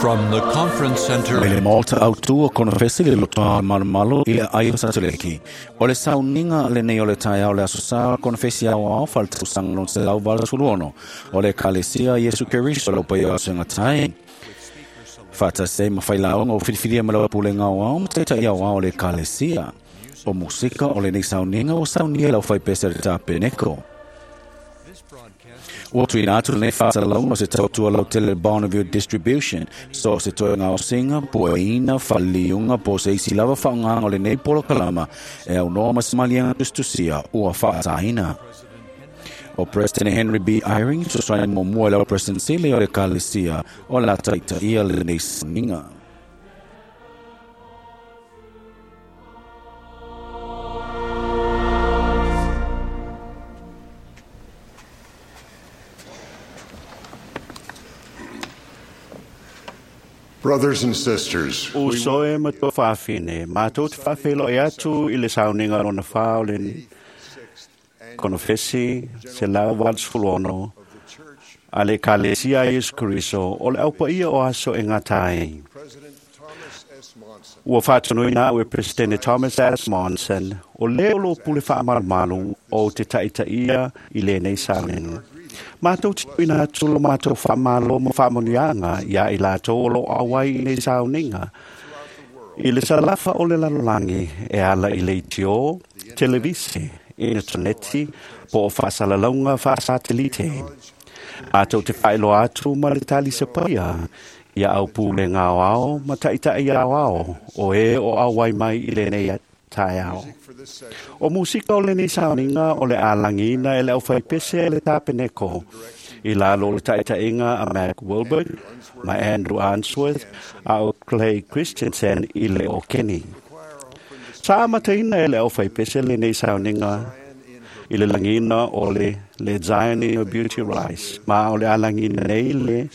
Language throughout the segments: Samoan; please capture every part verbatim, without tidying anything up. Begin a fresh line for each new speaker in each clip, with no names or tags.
From the conference center
Mai le maota autu o konofesi le lotoa malomalo i le ai o Satuleki. O le sauniga lenei o le taeao le aso sa konofesi ao ao faletausaga lona selau valu sefulu ono. O le Ekalesia Iesu Keriso lau paia o tai. Faatasi ai ma failaoga o filifilia ma lau pulega aoao ma taitai aoao o le Ekalesia. O musika o lenei sauniga ua saunia e lau faipese le tapeneko. Ua tuuina atu lenei faasalalauga o se tautua lautele Bonneville Distribution, so o se toe gaosiga, pueina, faleliuga po o se isi lava faaaogaga o lenei polokalama e aunoa ma se maliega tusitusia ua faataina. O President Henry B. Eyring fesoasoani muamua i lau President Sili o le Ekalesia o le a taitaia lenei sauniga.
Brothers and sisters,
Uso e ma to faafine, mātou te faafeiloai atu i le sauniga lona whā o le konofesi se lau valu sefulu ono a le Ekalesia a Iesu Keriso o le aupaia o aso e gata ai.
President Thomas S. Monson
Ua faatonuina au e Presidente Thomas S. Monson o le o lo pule faamalumalu o te taitaia i lenei sauniga. Mātou te tuuina atu lo mātou faamalo ma faamanuiaga ia i latou o lo auai i nei sauniga. I le salafa o le lalolagi e ala i le leitio, televise, intaneti, po o faasalalauga faasatelite. Mātou te faailoa atu ma le talisapaia ia au pulega aoao ma taitai aoao o e o auai mai i lenei taeao.
for this session
O musika o lenei sauniga o le alagina e le aufaipese e le tapeneko. I lalo o le taitaiga a Mac Wilbert, ma Andrew Answorth, a o Clay Christensen i le o Kenny. Sa amataina e le aufaipese lenei sauniga i le lagina o le, le Zion in Your Beauty Rise, ma o le alagina nei le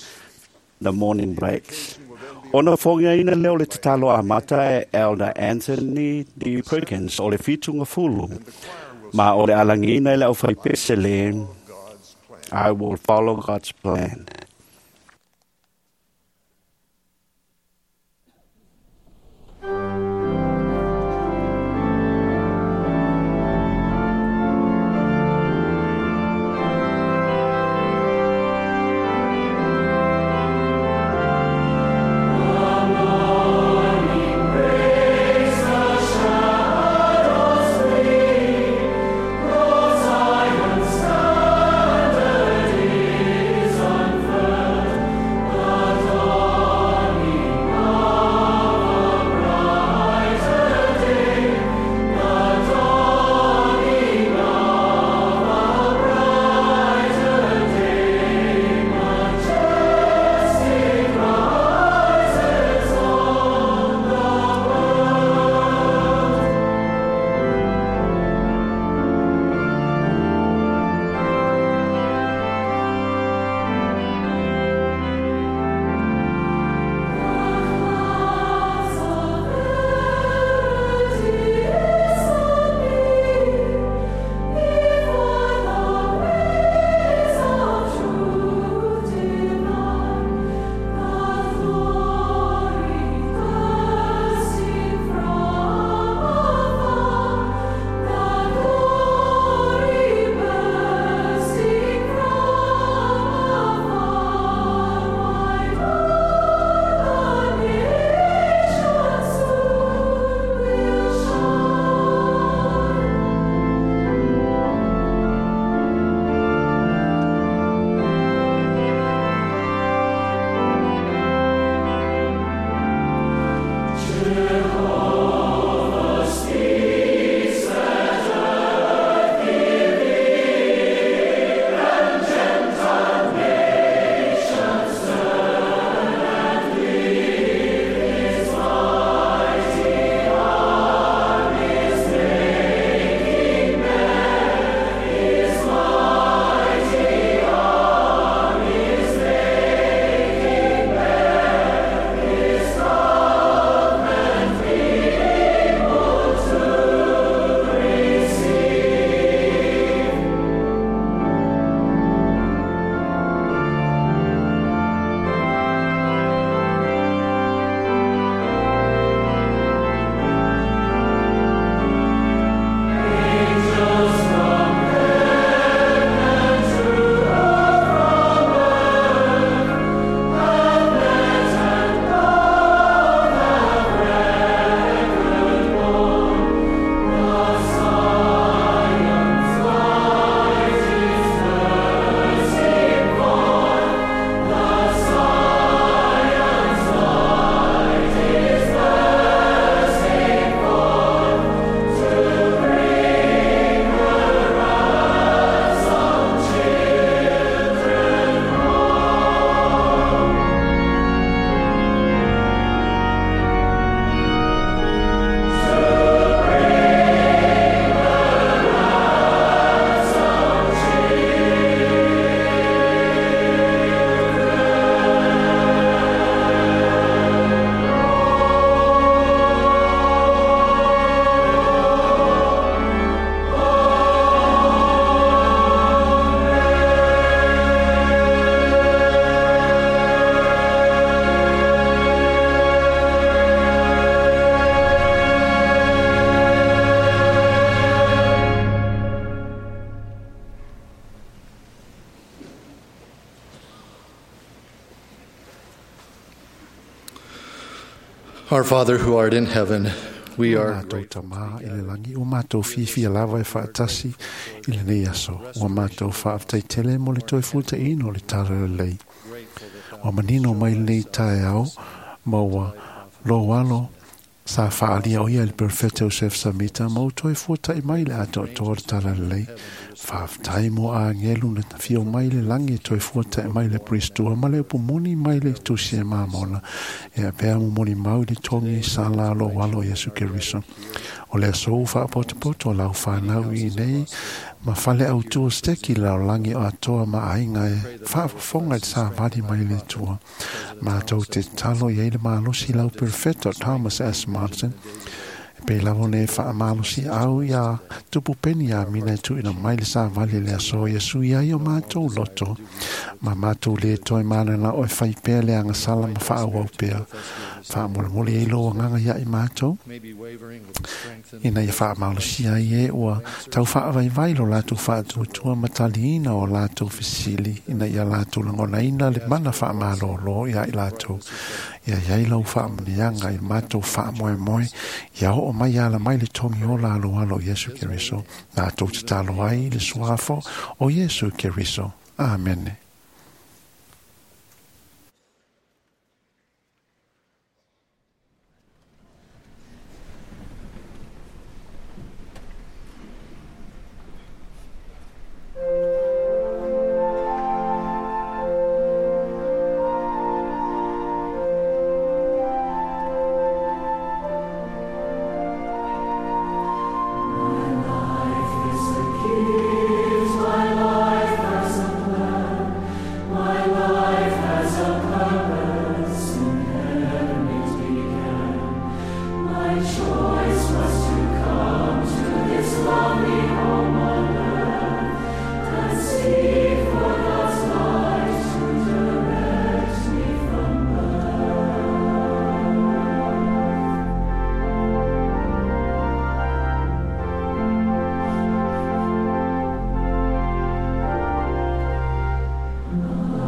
The Morning Breaks. Ona fogiaina leo le tatalo amata e Elder Anthony D. Perkins o le fitunga fulu, ma o le alagina e le aufaipese le
God's plan.
I will follow God's plan.
Standard is unfurled. Our Father who art in heaven, we are
Mātou tamā i le langi o mātou whiwhia lava e whaatasi i le nei aso. Ua mātou whaaftaitele mo le toi futa ino le tara le lei. Ua manino mai le nei tae au, ma ua lo alo sa whaalia o ia le perfecto Joseph Samita ma o toi futa i mai le ato toa le tara le lei. Whaaftai mo a ngelu na whio mai le langi toi futa i mai le pristua ma le upumoni mai le tusi e mamona. E pea mo moni mau le tongi sa la lo walo Yesu Keriso. O le aso whaapotopoto lau whanau i nei ma whale au tua steki lau langi o atoa ma ainga e whaafofonga i sa wadi mai le tua. Mātou te talo i eile malosi lau perfecto Thomas S. Monson. Pe lavo ne whaamalosi au ia tupu peni a mina e tuina mai le sa vale le aso Yesu ia i o mātou loto. Ma mātou le toi mana o e whai pea le anga sala ma whaawau pea. Whaamolemole e loa nganga ia i mātou. Ina ia whaamalosi ai e ua tau whaavaivai lo lātou whaatuatua mataliina o lātou fisili. Ina ia lātou langonaina le mana whaamalolo ia i lātou. Ia iai lau whaamanianga i mātou whaamoemoe. Ia o mai ala mai le tongi o la alo alo Yesu Keriso. Nā tō te talo ai le suafo o Yesu Keriso. Amene.
My life has a plan. My life has a purpose. In heaven it began. My choice was to come to this lovely home on earth and seek for God's light to direct me from birth.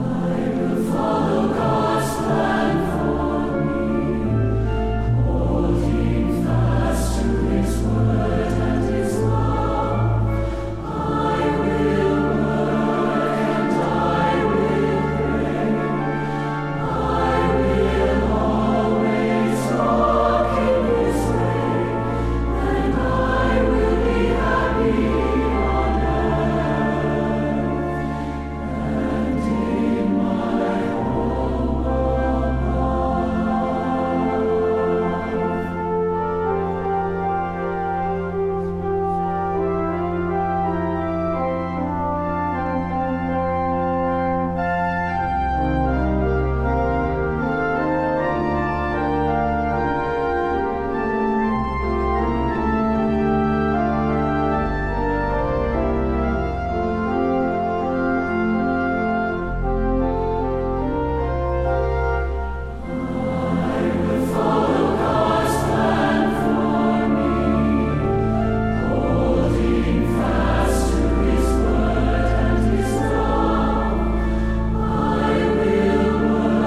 I will follow God's plan for me, holding fast to His word and His love. I will work and I will pray. I will always walk in His way, and I will be happy on earth and in my home above. I will follow God's plan for me, holding fast to His word and His love. I will work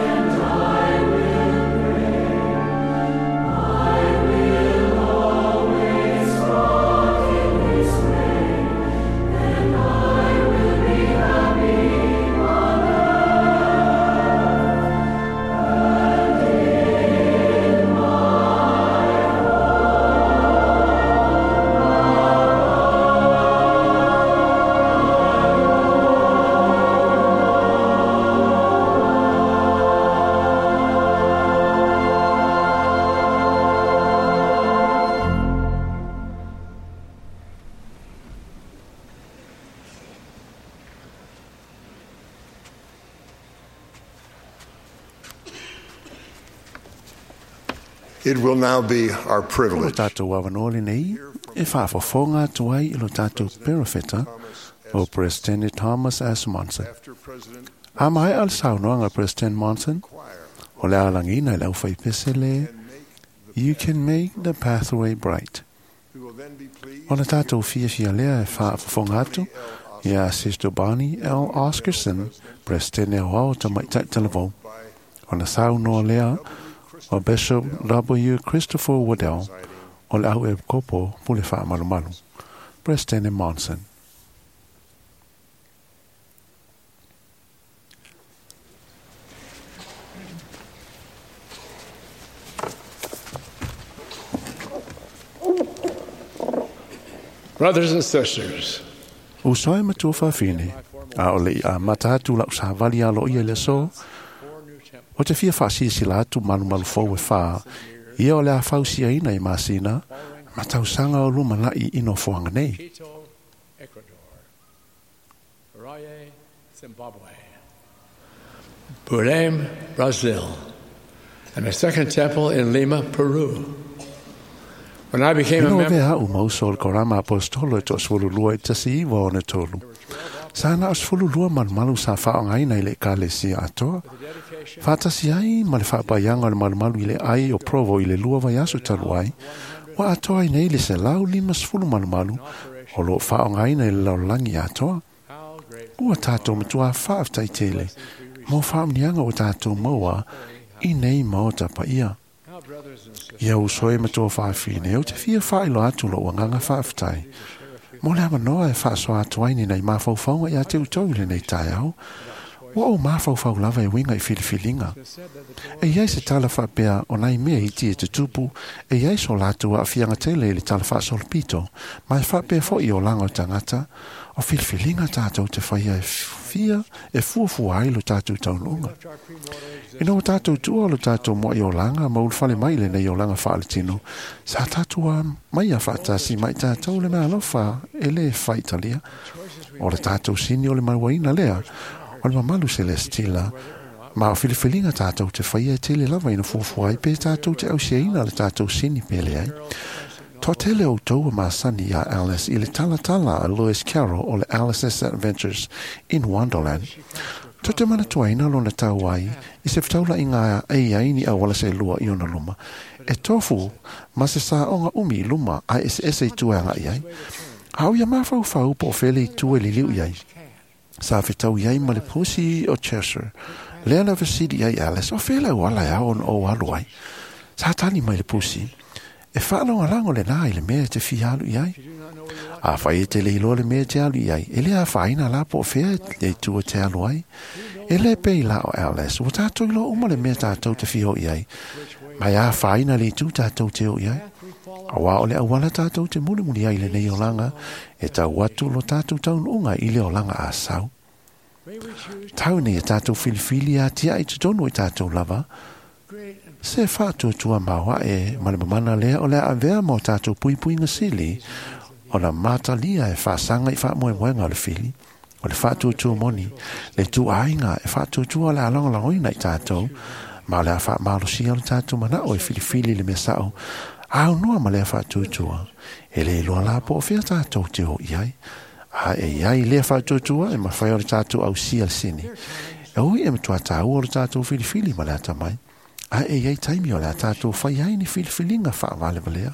and I will pray. I will always walk in His way, and I will be happy on earth and in my
It will now be our
O
privilege
tātou awanoa le nei, e whaafofonga atu ai i lo tātou perofeta o President Thomas S. Monson.
after President
A mai al saunoanga President Monson,
Choir
o le alangina i lau whaipese le,
and make the
You can make the pathway bright.
We will then be pleased
O le tātou whiawhia lea e whaafofonga atu, ia Sister Bonnie L. Oscarson, President o au tamaitai talavou.
by
O na saunoa lea, O Bishop W. Christopher Waddell o le au e kopo pule whaamalumalu. President Monson.
Brothers and sisters,
Usoe matua whawhine, a o le i a mata atu lau sāvali a lo ia le so, o te fia whaasisi atu malu malu fou e whā, ia o le a fausia ina i masina, ma tausanga o luma lai ino fuanga nei.
Quito, Ecuador, Harare, Zimbabwe, Belém, Brazil, and a second temple in Lima, Peru. When I became a
Ino
member,
vea au mauso o le korama apostolo e toa sefulu lua i tasi iwa ona tolu. Sa na o sefulu lua malumalu sa whaongaina i le ekalesia atoa. Whaatasi ai ma le whaapaianga o le malumalu i le ai o Provo i le lua vaiaso talu ai, wa atoa ai nei le selau lima sefulu malumalu o lo whaongaina i le laolangi atoa. Ua tātou matua whaaftai tele, mō whaamnianga o tātou maua i nei maota pa ia. Ia usoe matua whaafine, o te fia whailo atu lo uanganga whaaftai. Mō le amanoa e whaasoa atu ai ni nei mawhaufaunga i a te utou i le nei taiao. Ua o mawhaufau lava e winga i filifilinga. E iai se tala whaapea o nai mea iti e te tupu, e iai so lātou a whianga tele i le tala whaasolopito, ma e whaapea fo i o langa o tangata, o filifilinga tātou te whaia e fia e fuafua ai lo tātou taununga. Ina o tātou tua lo tātou moa i o langa, ma ulufale mai le nei o langa whaaletino, sa tātou a mai a whaatasi mai tātou le mea alofa e le whaitalia. O le tātou sini o le mauaina lea, o le mamalu celestila, ma o filifilinga tātou te whaia e tele lava ina fuafua ai pe tātou te ausiaina le tātou sini pele ai. Toa tele o tau masani a Alice i le talatala a Lewis Carroll o le Alice's Adventures in Wonderland. Tō te mana tuaina lona tau ai, i se whataula i ngā ei ai ni awala se lua i ona luma. E tofu, ma se sa onga umi i luma a ese ese i tuanga i ai. Hau ia mawhau whau po whele i tue liliu i ai. Sa whitau i ai ma le pusi o Cheshire. Lea na vasili ai Alice, o whele wala ia on o alu ai. Sa tani mai le pusi. E whaalonga le nā i le mea te fi alu i ai. A whai e te leiloa le mea te alu i ai. E le a whaina la po whea e tua te alu ai. E le pei la o Alice. O tātou iloa uma le mea tātou te whio i ai. Mai a whaina le tū tātou te o i ai. A wā o le awala tātou te mulimuli ai le nei o langa. E tau atu lo tātou taununga i le o langa a sau. Tau nei e tātou filifili a tia i te tonu i tātou lava. Se whaatuatua maua e ma le mamana lea o lea avea mō tātou puipuinga sili o na mātalia e whaasanga i whaamoemoenga o le fili, o le whaatuatua moni, le tūāinga e whaatuatua le alongolangoina i tātou, ma o lea whaamalosia o le tātou manao e filifili le mea sao, au noa ma lea whaatuatua, e le iloa la po o whia tātou te o i ai, a e iai lea whaatuatua e mawhai o le tātou au sia le sini. E ui e matua tāua o le tātou filifili ma lea tamai. A e iai taimi o lea tātou whai ai ni filifilinga whaawalevalea.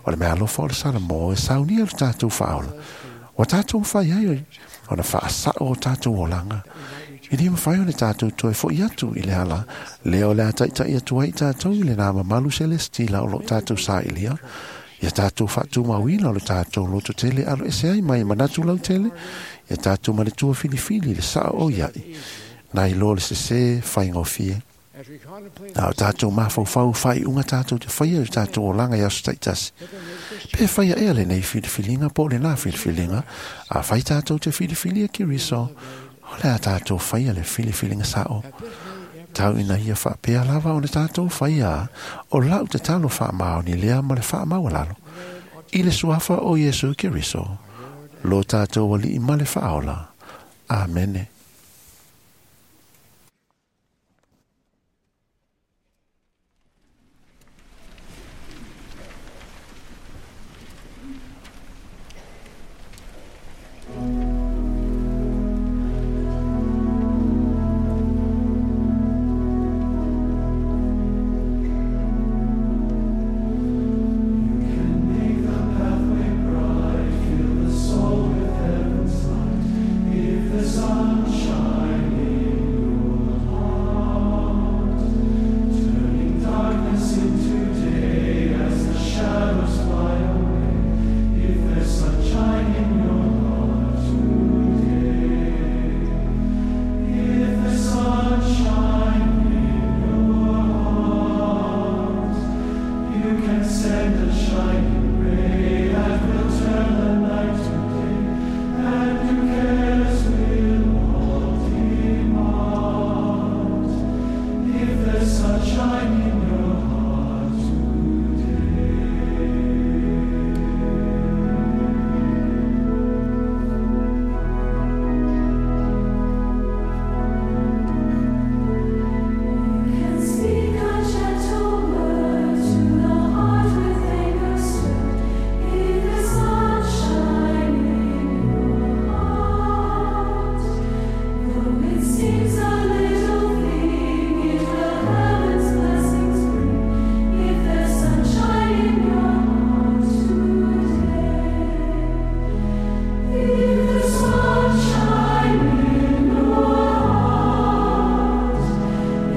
O le mea alofa o le Salamo e saunia le tātou whaola. O tātou whai ai o na whaasao o tātou olanga. I ni mawhai o le tātou toe fo i atu i le ala. Leo lea taitai atu ai tātou i le nā mamalu celestila o lo tātou sa ilia. Ia tātou whaatumauina o le tātou loto tele alo ese ai mai manatu lau tele. Ia tātou male tua filifili le sao o iai. Nai lo le sese whaingofie. Nā o tātou mawhauwhau whai unga tātou te whaia o tātou o langa i aso taitasi. Pe whaia ea le nei filifilinga po le nā filifilinga, a whai tātou te filifilia ki riso, o le a tātou whaia le filifilinga sao. Tau ina ia whaapea lava o le tātou whaia, o lau te talo whaamao ni lea ma le whaamau lalo. I le suafa o Yesu Keriso, lo tātou wali i ma le whaola. Amene.
Sun. seems a little thing, it will heaven's blessings bring. If there's sunshine in your heart today, if there's sunshine in your heart,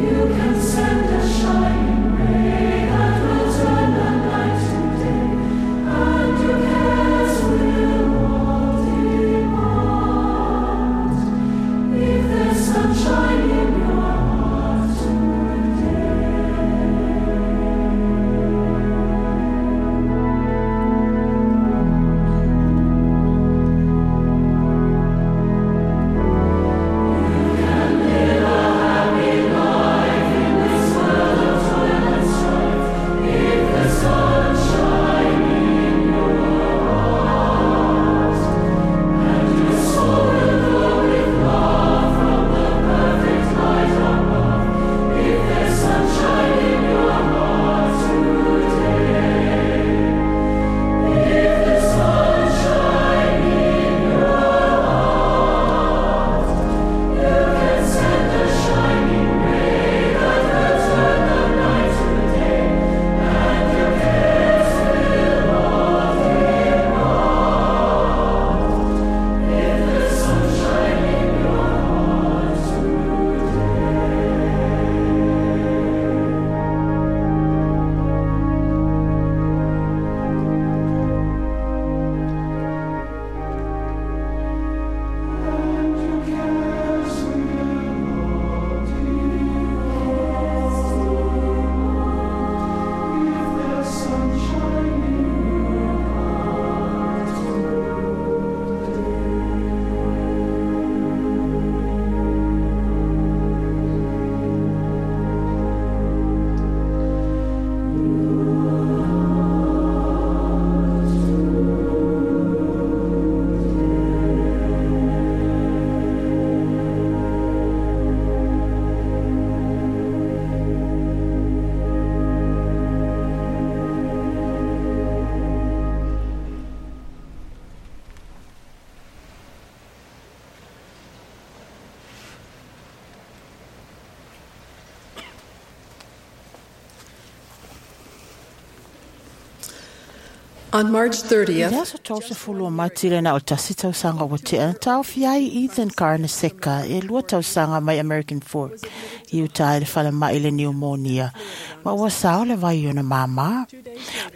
you can send a shining ray that will turn the night to day, and your cares will all depart. If there's sunshine in your heart today.
On March thirtieth,
I le aso tolu o Mati le na o tasi tausaga ua tea na taofia ai Ethan Carnesecca e lua tausaga mai American Fork i uta i le falemai i le pneumonia ma ua sao le vai ona māmā.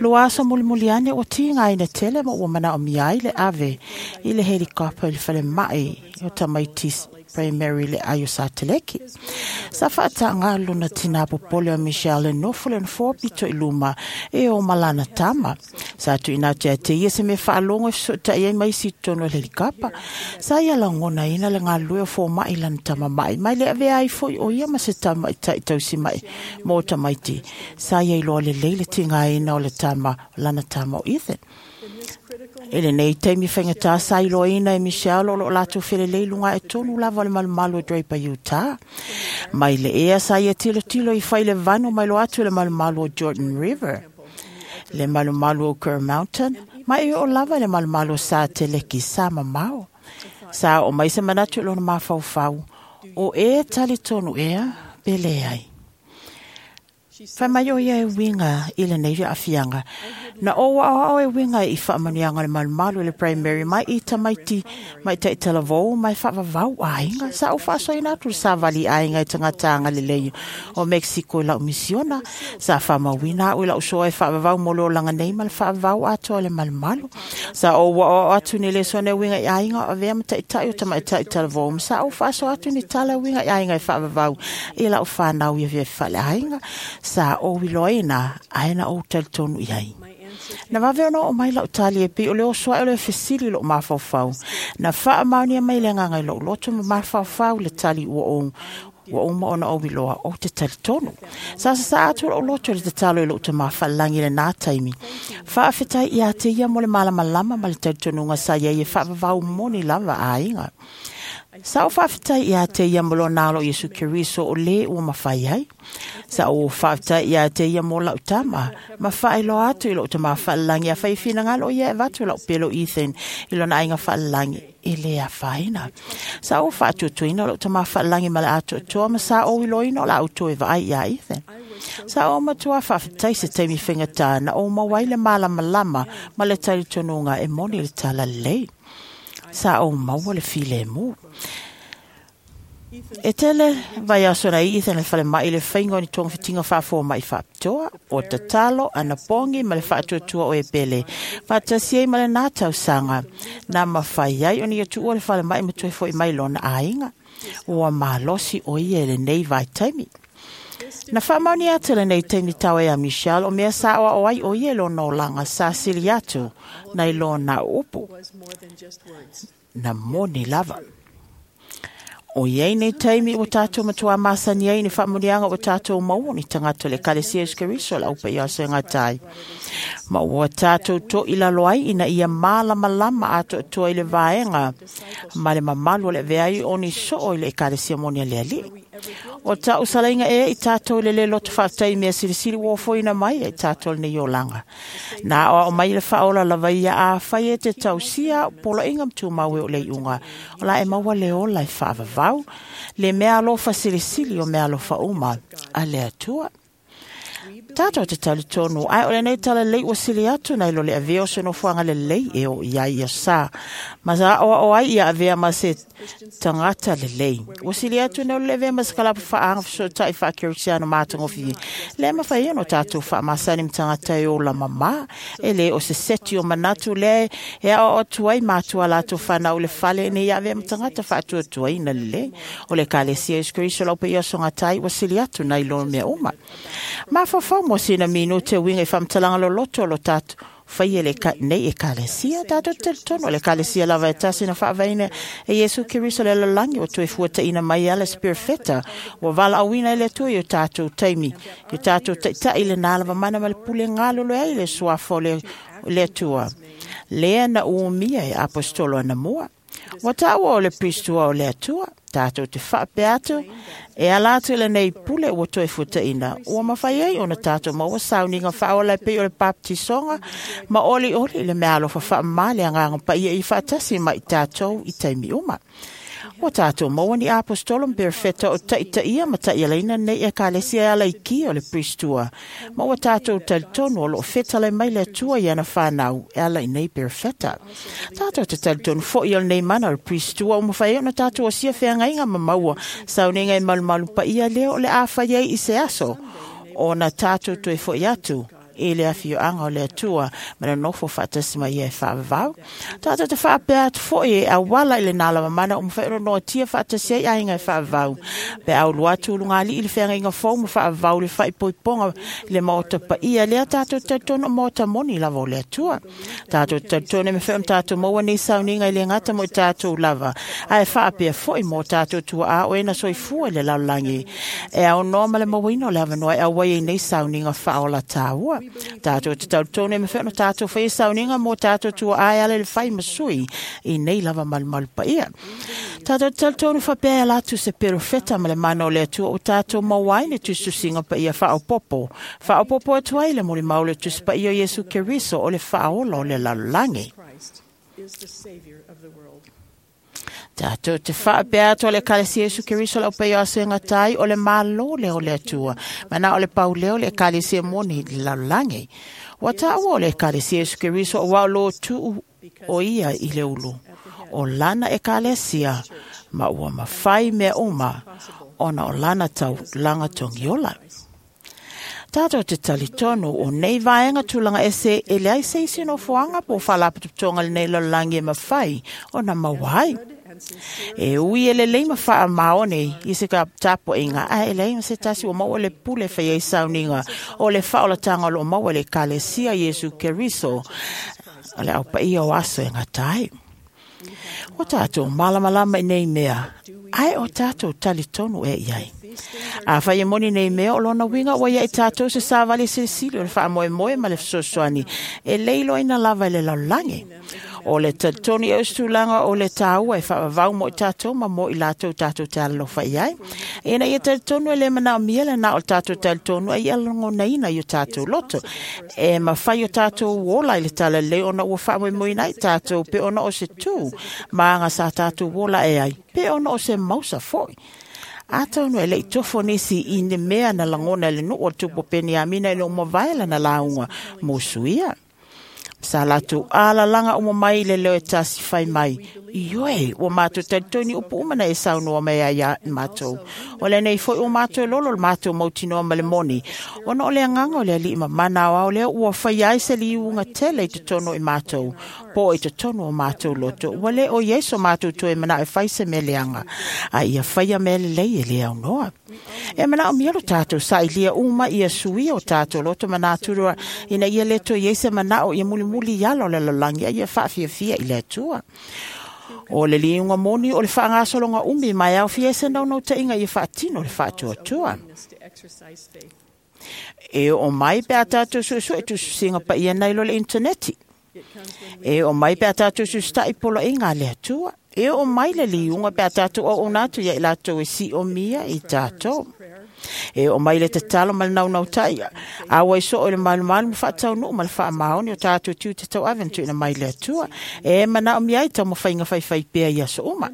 Lua aso mulimuli ane ua tigaina tele ma ua manaomia ai le ave i le helikapa i le falemai o tamaiti Primary le ai o Sateleki. Sa faataga lona tinā popole o Michelle e nofo le nofoa pito i luma e o malana tama. Sa tuuina atu ia te ia se mea faalogo e fesoʻotaʻi ai ma isi i totonu o le helikapa. Sa ia lagonaina le galulue o fomaʻi lana tamamaʻi mai le avea ai foʻi o ia ma se tamaʻitaʻi tausimaʻi mo tamaiti. Sa ia iloa lelei le tigaina o le tama lana tama o Ethan. E lenei taimi faigata sa iloaina e Michelle o loo latou felelei luga e tonu lava o le malumalu o Draper Utah. Mai le ea sa ia tilotilo i fai le vanu mai lo atu i le malumalu o Jordan River, le malumalu o Kerr Mountain, ma e oo lava i le malumalu o Sa Teleki sa mamao. Sa o mai se manatu i lona mafaufau, o e talitonu ea pe leai. Fai mai o ia e winga i lenei aafiaga. Na ou aoao e winga i faamanuiaga o le malumalu i le primary mai i tamaiti mai taʻitalavou mai faavavau aiga. Sa ou faasoaina atu le savali aiga i tagata agalelei o Mexico i lau misiona. Sa faamauina aʻu i lau soa e faavavau mo le olaga nei ma le faavavau atoa i le malumalu. Sa ou aoao atu ni lesona e uiga i aiga o avea ma taʻitaʻi o tamaitaʻi talavou ma sa ou faasoa atu ni tala e uiga i aiga e faavavau i lau fanau ia fia faleaiga. Sa ou iloaina ae na ou talitonu i ai. Na vave ona oo mai lau tali e pei o le oso ae o le fesili i lou mafaufau. Na faamaonia mai le agaga i lou loto ma mafaufau le tali ua ou ua uma ona ou iloa ou te talitonu. Sa sasaa atu lou loto i le tatalo i lou tamā faalelagi i lenā taimi. Faafetai ia te ia mo le malamalama ma le talitonuga sa iai e faavavau moni lava aiga. Sa o faafetai ia te ia mo lona alo Iesu Keriso o le ua mafai ai. Sa o faafetai ia te ia mo lau tama, ma faailoa atu i lou tama faalelagi a fai finagalo ia e avatu lau pelo Ethan i lona aiga faalelagi e le afaina. Sa o faatuatuina lou tama faalelagi ma le atoatoa ma sa o iloina o la auto e vaai ia Ethan. Sa o matua faafetai se taimi faigata na ou maua ai le malamalama ma le talitonuga e moni le talalelei. Sa ou maua le filemu. E tele vai aso na i Ethan le falemai le faiga o ni togafitiga faafoma'i faapitoa o tatalo anapogi ma le faatuatua o e pele faatasi ai ma lenā tausaga na mafai ai ona ia tuua le falemai ma toe fo'i mai lona aiga. Ua malosi o ia i lenei vaitaimi. Na faamaonia atu lenei taimi tau ia Michelle o mea sa oao ai o ia i lona olaga sa sili atu nai lona upu na moni lava. O iai nei taimi ua tātou matua masani ai ni whaamunianga ua tātou maua ni tagata le Ekalesia Iesu Keriso le aupa ia se ngatai. Ma ua tātou to i lalo ai ina ia malamalama atoatoa i le vaega ma le mamalu o le veai o ni soo i le Ekalesia moni a le Alii. O tau salainga e i tātou le le loto whaatai mea silisili uofoina mai e tātou nei olanga. Nā o mai le whaola lava ia a whai e te tausia pola inga mtu maue o le iunga. O la e maua le ola e whaavavau, le mea alofa silisili o mea alofa uma a le atua. Tātou te talitonu, ai o le nei tala lei ua sili atu nei lo le avea o se nofoanga le lei e o ia ia sa. Ma sa oa o ai ia avea ma se tangata le lei. Ua sili atu nei lo le avea ma se kalapu whaanga whasotai wha kerisiano mātangofi. Le mawhai ono tātou wha masani mtangata e o la mama. E le o se seti o manatu le e ao o tuai mātua lātou whanau le fale nei ia avea mtangata whaatua tuai na le lei. O le Ekalesia Iesu Keriso laupa ia songatai ua sili atu nei lo mea uma. Mafafau mo sina minu te winga i whamtalanga lo loto lo tātou whai e le ka, nei Ekalesia tātou te tono le Ekalesia lava e tasi na whaavaina e Iesu Keriso le lalangi o toe fuata ina mai ala spirifeta ua vala awina e le atua i o tātou taimi i o tātou taitai le nā lava mana ma le pule ngalo lo ai le suafa o le, le atua lea na uumia e apostolo ana mua. Ua tāua o le pristua o le atua, tātou te whaapea atu, e ala atu le nei pule ua toe futaina. Ua mawhai ai ona tātou maua sauninga whaola e pei o le baptisonga, ma oli oli le mea alofa whaamā le anganga pa ia i whaatasi mai tātou i taimi uma. Ua tātou maua ni apostolo mperefeta o taitaia ma taialaina nei Ekalesia e ala i ki o le pristua. Ma ua tātou talitonu o loo fetala mai le atua i ana whanau e ala i nei perefeta. Tātou te talitonu fo i o nei mana o le pristua o mawhai ona tātou o sia wheangainga ma maua saunenga e malumalu pa ia leo o le āwhai ai i se aso. O na tātou toe fo i atu e le awhioanga o le atua ma le nofo whaatasi mai ia e whaavavau. Tātou te whaapea atu foi e awala i le nālama mana o mwhaero noa tia whaatasi ai ainga e whaavavau. Pe au lua atu lunga ali i le whenga inga fau ma whaavavau le whaipoiponga le maota pa ia lea tātou te tono maota moni lava o le atua. Tātou te tone me whaam tātou maua nei sauninga i le ngata mo i tātou lava. Ae whaapea foi mō tātou tua a o ena soifua i le lalulangi. E au noa ma le mawino le awanoa e au ai nei sauninga whaola tāua. Tātou te tauritone me whaona tātou whai sauninga mō tātou tua ai ala le whai masui i nei lava malumalu pa ia. Tātou te tauritone whapea e latu se perofeta ma le mana o le atua o tātou mauai ne tususinga pa ia whaopopo. Whaopopo atu ai le moli mau le tusi pa ia Iesu Keriso o le whaola o le lalolagi. Tātou te whaapea atu o le Ekalesia Iesu Keriso lau pei o asenga tai o le mālo le o le atua. Mana o le pauleo le Ekalesia moni le lalolagi. Ua tāua o le Ekalesia Iesu Keriso o wao lo tuu o ia i le ulu. O lana Ekalesia ma ua mawhai mea uma ona o lana tau langa tongiola. Tātou te talitonu o nei vaenga tūlanga ese e leai se isi no fuanga po whalapututonga le nei lalolagi e mawhai o na mawai. E ui e le leima wha maone i se ka tapo inga a e leima se tasi o maua le pule whai ei sauninga o le whaolatanga o lo maua le Ekalesia Iesu Keriso o le aupa ia o aso e ngatai. O tātou malamalama i nei mea, ai o tātou talitonu e iai. A whai e moni nei mea o lona winga o ia i tātou se sāvali silisili o le whaamoe moe ma le fesoasoani e leilo ina lava i le lalolagi. O le talitonu i ausitulaga o le tāua e faavavau mo i tatou ma mo i latou tatou te alalofa i ai. Ina ia talitonu e le manaomia le na o le tatou talitonu ai ia lagonaina i o tatou loto. E mafai o tatou ola i le talalelei ona ua faamoemoeina ai tatou pe ona o se tū ma aga sa tatou ola e ai, pe ona o se mausa foi. Atonu e lei tofo nisi i ne mea na lagona e le nuu o le tupu o Peniamina i le umavae lana lauga mo suia. Sa latou alalaga uma mai i le leo e tasi fai mai, Ioe, ua mātou talitonu upu uma na e saunoa mai ai ia mātou. O lenei foi ua mātou lolo le mātou mautinoa ma le moni. Ona o le agaga o le alii ma mana aoao lea ua fai ai se liuga tele i totonu i mātou, po i totonu o mātou loto. Ua le o iai so mātou toe manao e fai se mea leaga, a ia faia mea lelei e le aunoa. E manaomia lo tātou sailia uma ia suia o tātou loto ma natura ina ia le toe iai se manao ia mulimuli i ala o le lalolagi a ia faafiafia i le Atua. O le liuga moni o le faagasologa umi ma e aofia ai se naunautaiga ia faatino le faatuatua. E oo mai pe a tatou suesue tusisiga paia nai lo le interneti. E oo mai pe a tatou susita'i poloaiga a le Atua. E oo mai le liuga pe a tatou auauna atu ia i latou e siomia i tatou. E oo mai le tatalo ma le naunautai auai soo i le malumalu ma faataunuu ma le faamaoni o tatou tiute tauave na tuuina mai le Atua. E manaomia ai taumafaiga faifai pea i aso uma.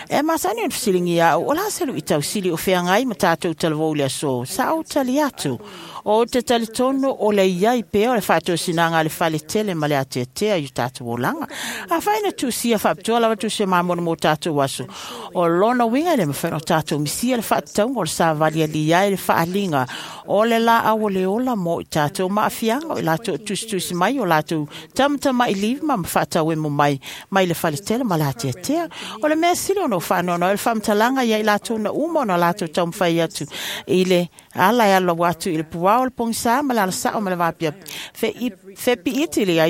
E masani ona fesiligia au, o le a se luitau sili o feagai ma tatou talavou i le aso, sa ou tali atu. O te talitonu o le iai pea o le faatosinaga a le fale tele ma le ateatea i o tatou olaga. Afai na tusia faapitoa lava tusia mamona mo tatou aso. O lona uiga e le mafai ona tatou misia le faatatauga o le savali ali ai le faaliga o le laau o le ola mo i tatou maafiaga o i latou tusitusi mai o latou tamatama'i lima ma faatauemo mai mai le fale tele ma le ateatea. O le mea sili ona ou faanoanoa ai o le faamatalaga ia i latou na uma ona latou taumafai atu i le ala e alu atu i le puao o le pogisa ma le alasao ma le vaapiapi fepiiti le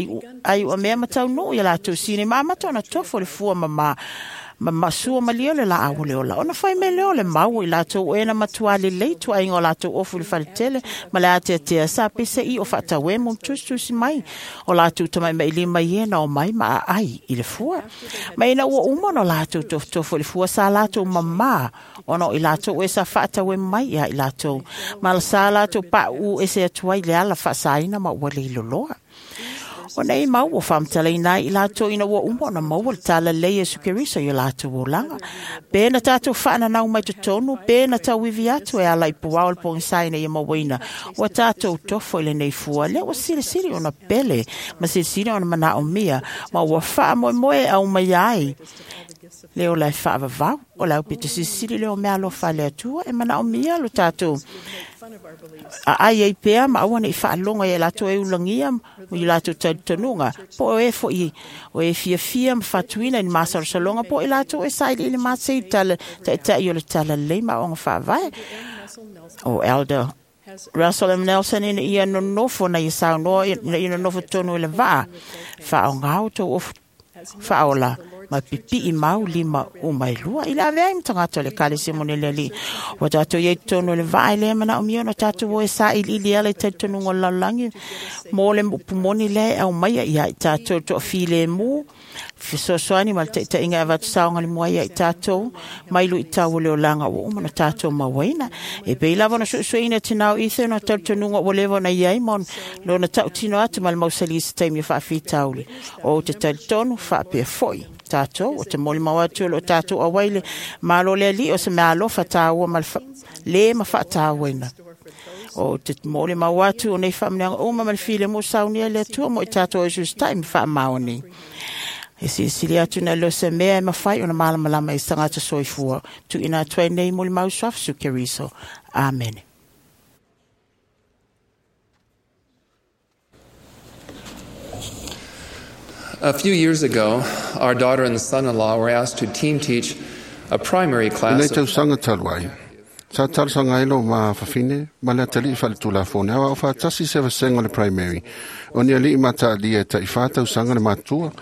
aiuamea ma taunuu ia latou sini ma amata ona tofo le fua mamā ma masua malia le laau o le ola. Ona fai mai lea o le mau i latou o ena matua lelei tuaiga o latou ofu i le faletele ma le ateatea sa pese i o faatauemo ma tusitusi mai o latou tamaimailima i ena o mai ma aai i le fua. Ma ina ua uma ona latou tofotofo i le fua sa latou mamā ona o i latou e sa faatauemo mai ia i latou. Ma sa latou pauu ese atu ai le ala faasaina ma ua leiloloa. O nei mau ua faamatalaina ai i latou ina ua uma ona maua le talalelei Iesu Keriso i o latou olaga. Pe na tatou faananau mai totonu, pe na tauivi atu e ala i puao o le pogisa ina ia mauaina. Ua tatou tofo i lenei fua, lea ua silisili ona pele ma silisili ona manaomia, ma ua faamoemoe au mai ai. Le ola e faavavau, o le aupito silisili lea o mea alofa a le Atua e manaomia lo tatou aai ai pea ma aua nei faalogo ia latou e ulagia ma i latou talitonuga po o e foi o e fiafia ma fatuina i ni masalosaloga po o i latou e sailiili masei i tala taitai o le talalelei ma aoga faavae. O Elder Russell M. Nelson ina ia nonofo na ia saunoa ina ia nonofo tonu i le vaa faaoga outou ofu faaola ma pipii mau lima uma e lua. I le avea ai ma tagata o le ekalesia mo le Alii. Ua tatou iai totonu o le vaa e le manaomia ona tatou o e sailiili ala i talitonuga o le lalolagi mo le upu moni lea e aumaia ia i tatou le toafilemu fesoasoani ma le taitaiga e avatu saogalemu ai ia i tatou mai luitau o le olaga ua uma ona tatou mauaina. E pei lava ona suesueina tinā o Ethan o talitonuga ua leva ona iai ma lona tautino atu ma le mausali i se taimi o faafitauli. O te talitonu faapea foi tatou o te molimau atu o lo tatou auai le Malo le Alii o se mea alofa tāua ma le fa, le ma faatauaina. O te molimau atu o nei faamanuiaga uma ma le filemu saunia i le Atua mo i tatou e susita'i ma faamaoni. E silisili atu na leo se mea e mafai ona malamalama i se tagata soifua. Tuuina atu ai nei molimau suafa Iesu Keriso. Amene.
A few years ago, our daughter and son-in-law were asked to team teach a primary
I nei
class of
tausaga talu ai. Sa talosaga ai lo mafafine ma le atalii faaletulafono e aoao faatasi se vasega o le primary. O ni alii mataalia e taifā tausaga le matua.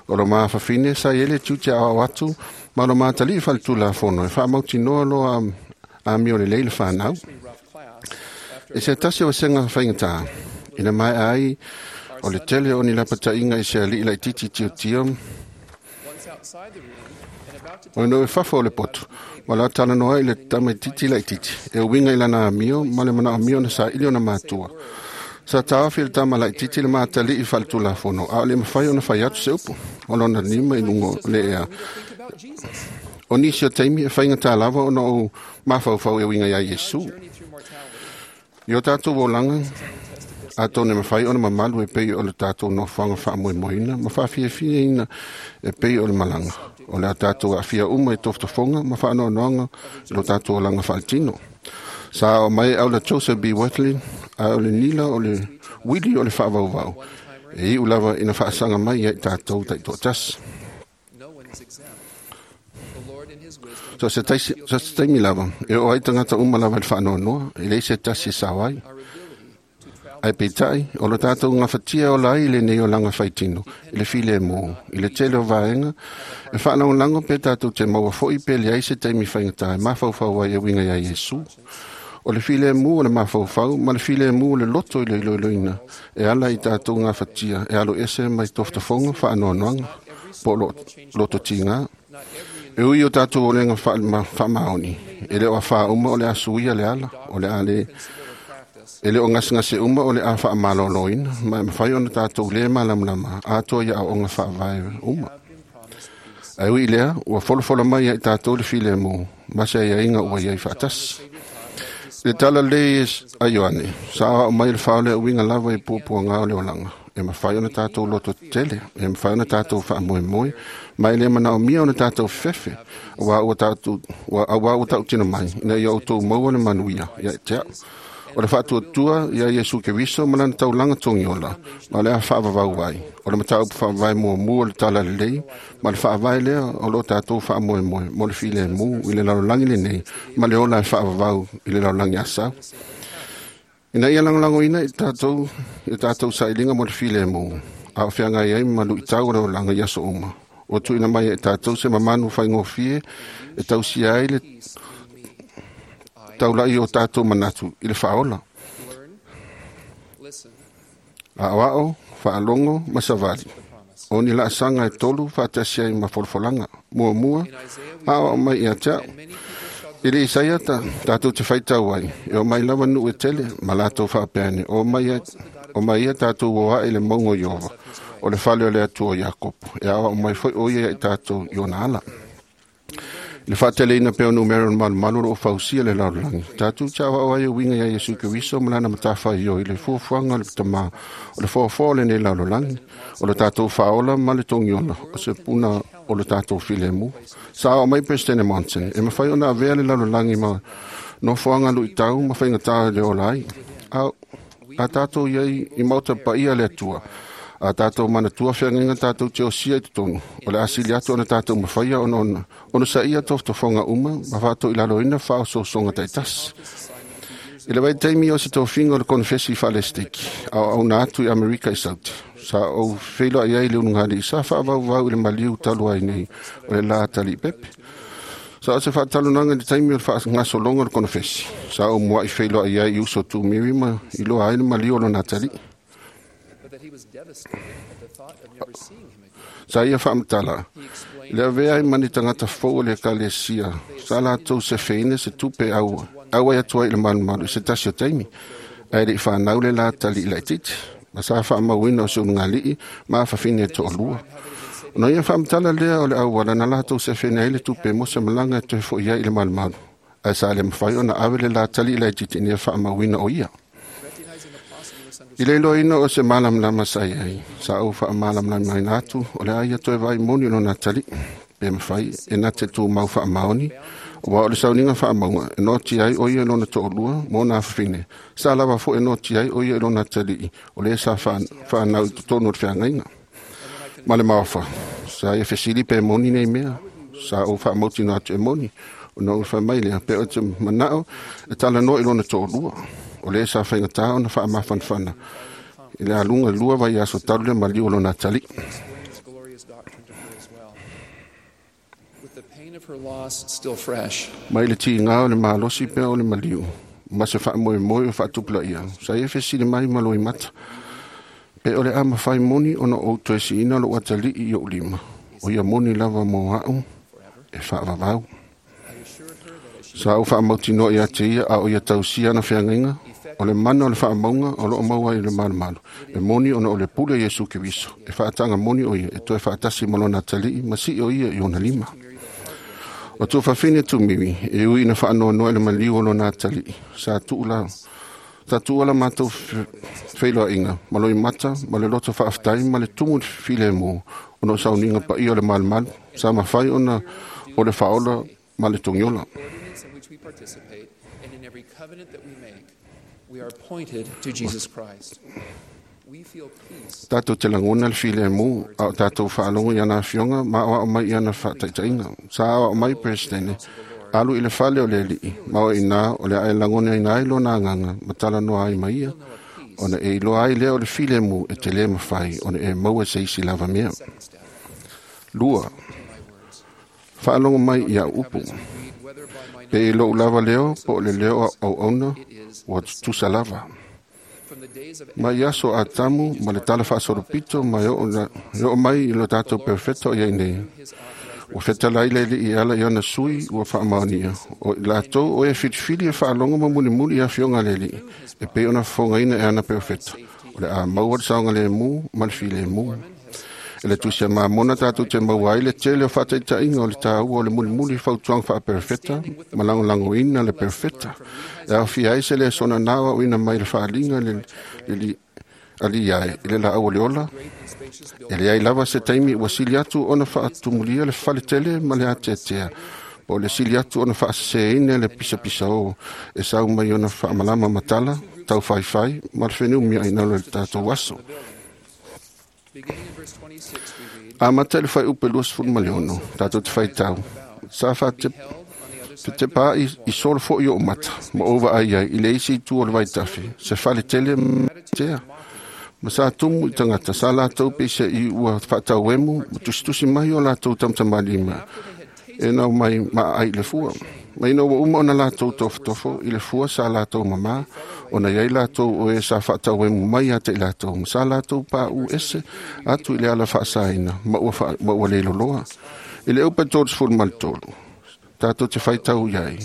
O lo mafafine sa i ai le tiute aoao atu ma lo matalii faaletulafono e faamautinoa loa amio lelei le whanau. E se tasi o vasega whaingatā, ina mai ai O le tele o ni lapataʻiga i se aliʻi laʻitiiti tiotio o le no e fafo o le poto ma la talanoa ai le tamaititi laʻitiiti e uiga i lana amio ma le manaʻomia ona saʻili ona matua. Sa taofi le tama laʻitiiti le mataliʻi faaletulafono a o le mafai ona fai atu se upu o lona lima i luga o le ea. O nisi o taimi e faigatā lava ona ou mafaufau e uiga iā Iesu. I o tatou olaga atonu e mafai ona mamalu e pei o le tatou nofoaga faamoemoeina ma faafiafiaina e pei o le malaga. O le a tatou aafia uma i tofotofoga ma faanoanoaga i lo tatou olaga faaletino. Sa o mai aula Joseph B. Wesley a o le nila o le uili o le faavauvau e iu lava ina faasaga mai ai tatou taitoatasi. So se taisi, so se taimi lava, e o ai tagata uma lava i le faanoanoa, e leai se tasi e sao ai. Ae peitai, o lo tatou gafatia ola ai i lenei olaga faitino, i le filemu, i le tele o vaega, e faalagolago pe tatou te maua foʻi pe leai se taimi faigatā e mafaufau ai e uiga iā Iesu. O le filemu o le mafaufau ma le filemu o le loto i le iloiloina e ala i tatou gafatia e alo ese mai tofotofoga faanoanoaga po o lo, lototigā. E ui o tatou olega faamaoni, e le o afā uma o le a suia le ala, o le a le e le o gasegase uma o le a faamalōlōina, ma e mafai ona tatou lē malamalama atoa ia aoaoga faavae uma. Ae ui i lea, ua folafola mai ai tatou le filemu, ma se aiaiga ua iai faatasi. Le tala lelei a Ioane, sa aoao mai le fao lea uiga lava i puapuagā o le olaga, e mafai ona tatou loto tetele, e mafai ona tatou faamoemoe, ma e lē manaomia ona tatou fefefe, auā ua tatou auā ua tautino mai, ina ia outou maua le manuia ia te aʻu. O le faatuatua ia Iesu Keriso ma lana taulaga togiola, ma le a faavavau ai. O le mataupu faavae muamua o le tala lelei, ma le faavae lea o loo tatou faamoemoe mo le filemu i le lalolagi lenei, ma le ola e faavavau i le lalolagi asau. Ina ia lagolagoina i tatou i tatou sailiga mo le filemu, a o feagai ai ma luitau o le olaga i aso uma. Ua tuuina mai ai tatou se mamanu faigofie e tausia ai le taulaʻi o tatou manatu i le faaola. Aʻoaʻo, faalogo ma savali. O ni laasaga e tolu faatasi ai ma folafolaga. Muamua, aʻoaʻo mai ia te aʻu. I le Isaia ta, tatou te faitau ai, e o mai lava nuu e tele, ma latou faapeane, o mai, o mai ia tatou o ae le mauga o Iowa, o le fale o le Atua o Iakopo, e aoao mai foi o ia i tatou i ona ala. I le faateleina pea o numera o le malumalu o loo fausia le lalolagi, tatou te aoao ai e uiga iā Iesu Keriso ma lana matafaioi i le fuafuaga o le tamā o le foafoa o lenei lalolagi, o le tatou faaola ma le togiola o se puna o le tatou filemu. Sa aoao mai Peresetene Monson, e mafai ona avea le lalolagi ma nofoaga luʻitau ma faigatā i le ola ai. A, a tatou iai i maota paia le Atua, a tatou manatua feagaiga tatou te osia i totonu, o le a sili atu ona tatou mafaia ona ona ona saia tofotofoga uma ma faatoilaloina faaosoosoga taitasi. I le vaitaimi o se tofiga o le konefesi faalesiteki, aoaoga atu i Amerika i Sauti, sa ou feiloai ai le ulugalii sa faavauvau i le maliu talu ai nei o le lā taliipepe. Sa o se faatalonaga i le taimi o le faagasologa o le konefesi, sa ou muaʻi feiloai ai i uso tumiri ma iloa ai le maliu o lona atalii. Sa ia faamatala, le avea ai ma ni tagata fou o le ekalesia, sa latou sefeina se tupe au auai atu ai i le malumalu i se tasi o taimi, ae leʻi fanau le lā taliʻi laʻitiiti, ma sa faamauina o se ulugalii ma afafine e toalua. Ona ia faamatala lea o le auala na latou sefeina ai le tupe mo se malaga e toe foʻi ai i le malumalu, ae sa le mafai ona ave le lā taliʻi laʻitiiti ina ia faamauina o ia. I le iloaina o se malamalama sa iai, sa ou faamalamalamaina atu o le a ia toe vaai moni o lona atalii, pe mafai e na te tumau faamaoni, auā o le sauniga faamauga e noatia ai o ia i lona toalua ma ona afafine, sa lava foi e noatia ai o ia i lona atalii o lē sa faanau i totonu o le feagaiga. Ma le maofa, sa ia fesili pe moni nei mea, sa ou faamautino atu e moni, ona ou fai mai lea, pe o te manao e talanoa i lona toalua, o lē sa faigatā ona faamafanafana i le aluga lua vaiaso talu le maliu o lona atalii. Mai le tigā o le malosi pea o le maliu, ma se faamoemoe o faatupulaia, sa ia fesili mai ma loimata, Pe o le a mawhai moni ona o toe siina lo atalii i o lima. O ia moni lava mō au e whaavavau. Sa au whaamautinoa ia te ia a o ia tausia na whiangainga. O le mana o le whaamaunga o loo maua i le malumalu. E moni ona o le pule Iesu Keriso. E whaatanga moni o ia e toe whaatasi malona atalii ma si o ia i ona lima. O tō whawhine tūmiwi, e ui ina whaanoa e le maliu o lona atalii. Sa tuula, sa tuula mātou wheiloa inga, ma loi mata, ma le loto whaaftai, ma le tumu file mō, ona o sauninga pa ia o le malumalu, sa mawhai ona o le whaola ma le tongiola. Tātou te langona le file mō, a o tātou whaalongo i ana whionga, ma o mai i ana whaataitainga. Sa o mai presidente, alu i le fale o le lii, ma o ina o le ae langona ina ai lona nganga, matala noa ai maia, ona e iloa ai lea o le file mō e te le mawhai, ona e maua se isi lava mea. Lua, whaalongo mai i a upu. Pe i lou lava leo, po o le leo au auna, ua tutusa lava. Mai aso a tamu, ma le tala whaasoropito, ma o mai i lo tātou perfecto ia nei. Ua whetala ile li i ala i ana sui, ua whaamaonia. O i lātou o e whitiwhili e whaalongo ma mulimuli i a whionga le li, e pe ona whongaina e ana perfecto. O le a maua le saonga le mū, ma le while mū. E le tusia mamona tātou te maua ai le tele o whataitainga o le tāua o le mulimuli whautuanga wha perfecta, ma langolango ina le perfecta. E au fia ai se le sona nawa o ina mai le whaalinga le, le, le ali ai, i le la au le ola. E le ai lava se taimi ua sili atu ona whaatumulia le whale tele ma le ateatea. Po le sili atu ona whaaseseina le pisapisa o e sau mai ona whaamalama matala, tau whaiwhai, ma le whenumia ai nalo le tātou aso. A mata le whai upe luas fulu maliono, tātou te whai tau. Sa wha te, te te pā i, i solo fo i o mata, ma ova ai ai, i le isi i tu o le vaitafe, se whale tele tea. Ma sa tumu i tangata, sa lātou peisa i ua whaatau emu, ma tusitusi mai o lātou tamtamalima, e nau mai ma ai le fua. Ma ina ua uma ona lātou tofotofo, i le fua sa lātou mamā, ona iai lātou o e sa whaatau emu mai a te i lātou, ma sa lātou pā u ese, atu i le ala whaasaina, ma ua, wha, ma ua leilo loa. I le upa tōris fulu maritolu, tātou te whaitau iai,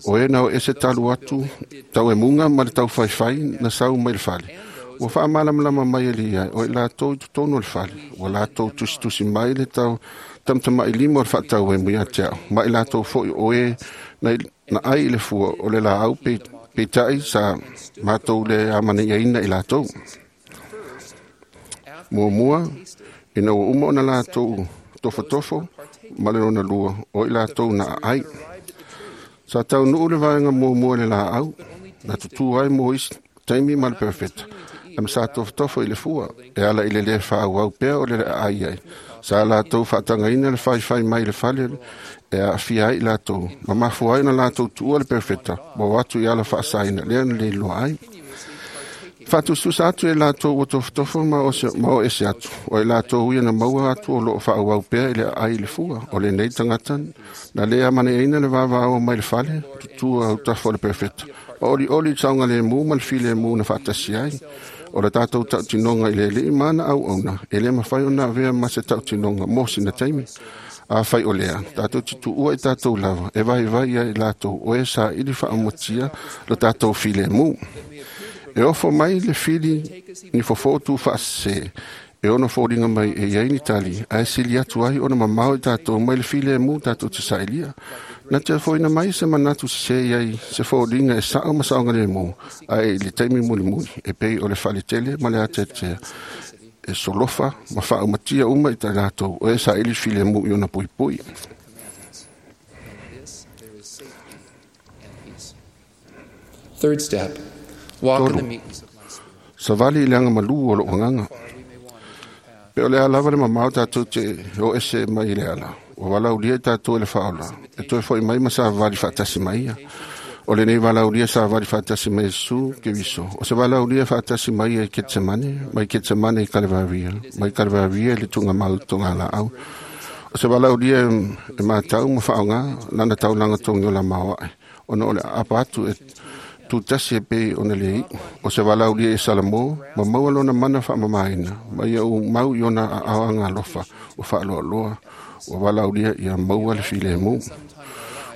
o e nau ese talu atu, tau e munga ma le tau whaiwhai, na sau mai le whale. Ua whaamalamalama mai e ia, o i lātou i tutono le whale, ua lātou tusitusi mai le tau tamtama i lima o le whaatau e mui a te au. Ma i lātou foi o e na, na ai i le fua o le la au pe, pe tai sa mātou le amane ia ina i lātou. Mua mua, ina ua uma ona lātou tofotofo, ma le lona lua, o i lātou na ai. Sa tau nuu le vaenga mua mua le la au, na tutu ai mo isi taimi ma le perfecta. Am sa tofotofo i le fua, e ala i le le whaau au pea o le le ai ai. Sa lātou whaatangaina le whaiwhai mai le whale, e a fia ai lātou. Ma mafua ai na lātou tuua le perfecta, ma watu i ala whaasaina, lea na le loa ai. Whaatususa atu e lātou o tofotofo ma o, se, ma o ese atu. O e lātou ia na maua atu o loo whaau au pea i le ai le fua. O le nei tangata, na lea maneaina le vavao mai le whale, tutua au tafo o le perfecta. O oli oli taunga le mū ma le file mū na whaatasi ai. O le tātou tautinonga i le lei mana au auna. E le mawhai o nā vea ma se tautinonga mō sina taimi. A whai o lea, tātou te tuua i tātou lava. E vai vai ia i lātou o e sa ili whaamotia le tātou file mū. E ofo mai le fili ni fofo tu whaasese. E ono fōringa mai e iai ni tali. A e sili atu ai ona mamao i tātou mai le file mū tātou te sailia. Na te foina mai se manatu se iai se fōringa e sao ma saonga le mō. A e le taimi muli muli. E pei o le whaletele ma le ateatea. E solofa ma whaaumatia uma i tā lātou. O e sa ili file mū i ona pui pui.
Third step, walk in the meekness of my spirit.
Savali i le anga malu o lo wanganga. Pe o le alava le mamao tātou te o ese mai i le ala. O wala ulia i tātou e le whaola. E toe foi mai ma sa vali whaatasi mai ia. O le nei wala ulia sa vali whaatasi mai su ke viso. O se wala ulia whaatasi mai e Ketsemane, mai Ketsemane i Kalevaria, mai Kalevaria i le tunga mau tonga la au. O se wala ulia e mātau ma whaonga, nana taulanga tongi o la maoae. Ona o le apa atu e Tutasi e pei ona le iu. O se valaulia e Salamo, ma maua lona mana whaamamaina, ma ia u mau i ona aoanga alofa, o whaaloaloa, o valaulia ia maua le filemu.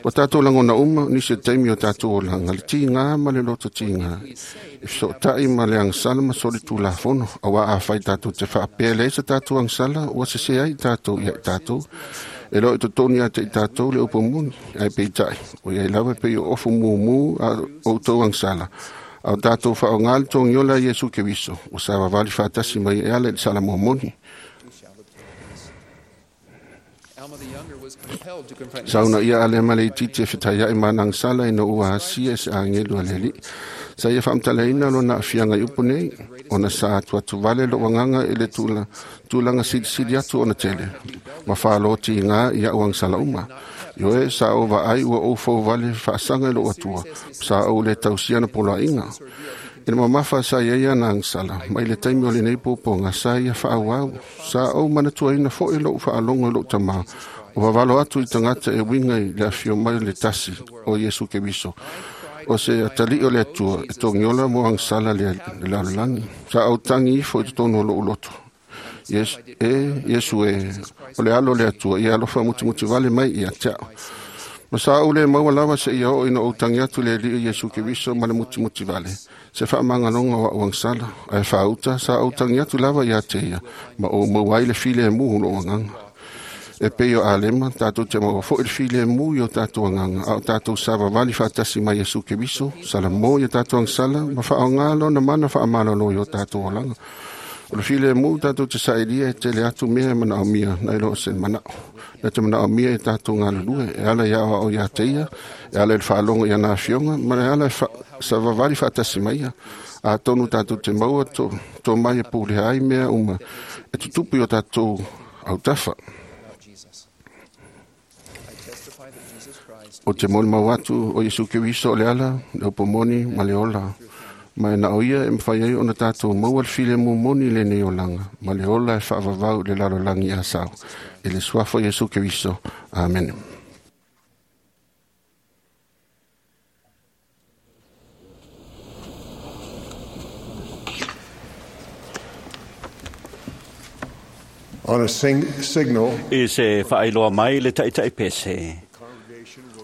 O tātou langona uma, nisi e taimi o tātou o langa, le tīngā ma le loto tīngā. E so tai ma le angsala ma soli tūlafono, a wā a whai tātou te whaapea le sa tātou angsala, ua se se ai tātou ia i tātou. E lo i to toni a te i tātou le upo muni, ai pei tai. O ia i lawa pei o ofu mumu a o tau angsala. A o tātou wha o ngali tō ngiola Yesu Keriso, o sa wawali whaatasi mai e ala i sala mōmoni. Sauna ia ale male titi e whitai ai manang sala ina ua hasia e se angelu aleli. Sa ia whaamtalaina lo na afianga i upu nei, ona sa atu atu vale lo wanganga i le tula, tulanga sili sili atu ona tele. Ma whaaloti i ngā ia uang sala uma. Ioe sa o wa ai ua o fau vale whaasanga i lo atua, sa o le tausiana pola inga. Ina mamafa sa ia ia na angsala, mai le taimi o le nei pōpō ngā sa ia whaawau, sa au manatua ina fo e lou whaalongo i lou tamā, o wawalo atu i tangata e winga i le awhio mai le tasi o Yesu Keriso. O se atali o le atua e tongiola mo angsala le, le lalolagi. Sa au tangi ifo i totonu o lou loto. Yes, e, Yesu e, o le alo le atua, ia alofa mutimuti vale mai ia teao. Ma sa au le maua lava se ia o ina o tangi atu le li Yesu Keriso ma le mutimuti vale. Se whaamangalonga wa uangsala, ai whaauta sa au tangi atu lava ia te ia, ma o mauai le file e muhu no anganga. E pei o alema, tātou te maua fo i le file e mu i o tātou anganga, a o tātou sava vali whaatasi mai Yesu Keriso, sala mō i o tātou angsala, ma whaongalo na mana whaamalolo i o tātou olanga. O le file e mu tātou te saelia e tele atu mea e mana o mia, na ilo o se manao. Na te mana o mia e tātou ngā lulue, e ala ia o ia te ia, e ala i le whaalongo i ana afionga, ma e ala e wha, sa vavali whaatasi mai ia. A tonu tātou te maua tō, tō mai e pūleha ai mea uma, e tutupu i o tātou autafa. O te moni mau atu o Yesu Keriso o le ala, le upomoni ma le ola. Ma e na o ia e mwhai ai ona tātou maua le file mumoni le nei olanga, ma le ola e whaavavau le lalolangi a sao. E le suafo Yesu Keriso. Amen.
On a sing- signal,
I se whaailoa mai le taitai pese.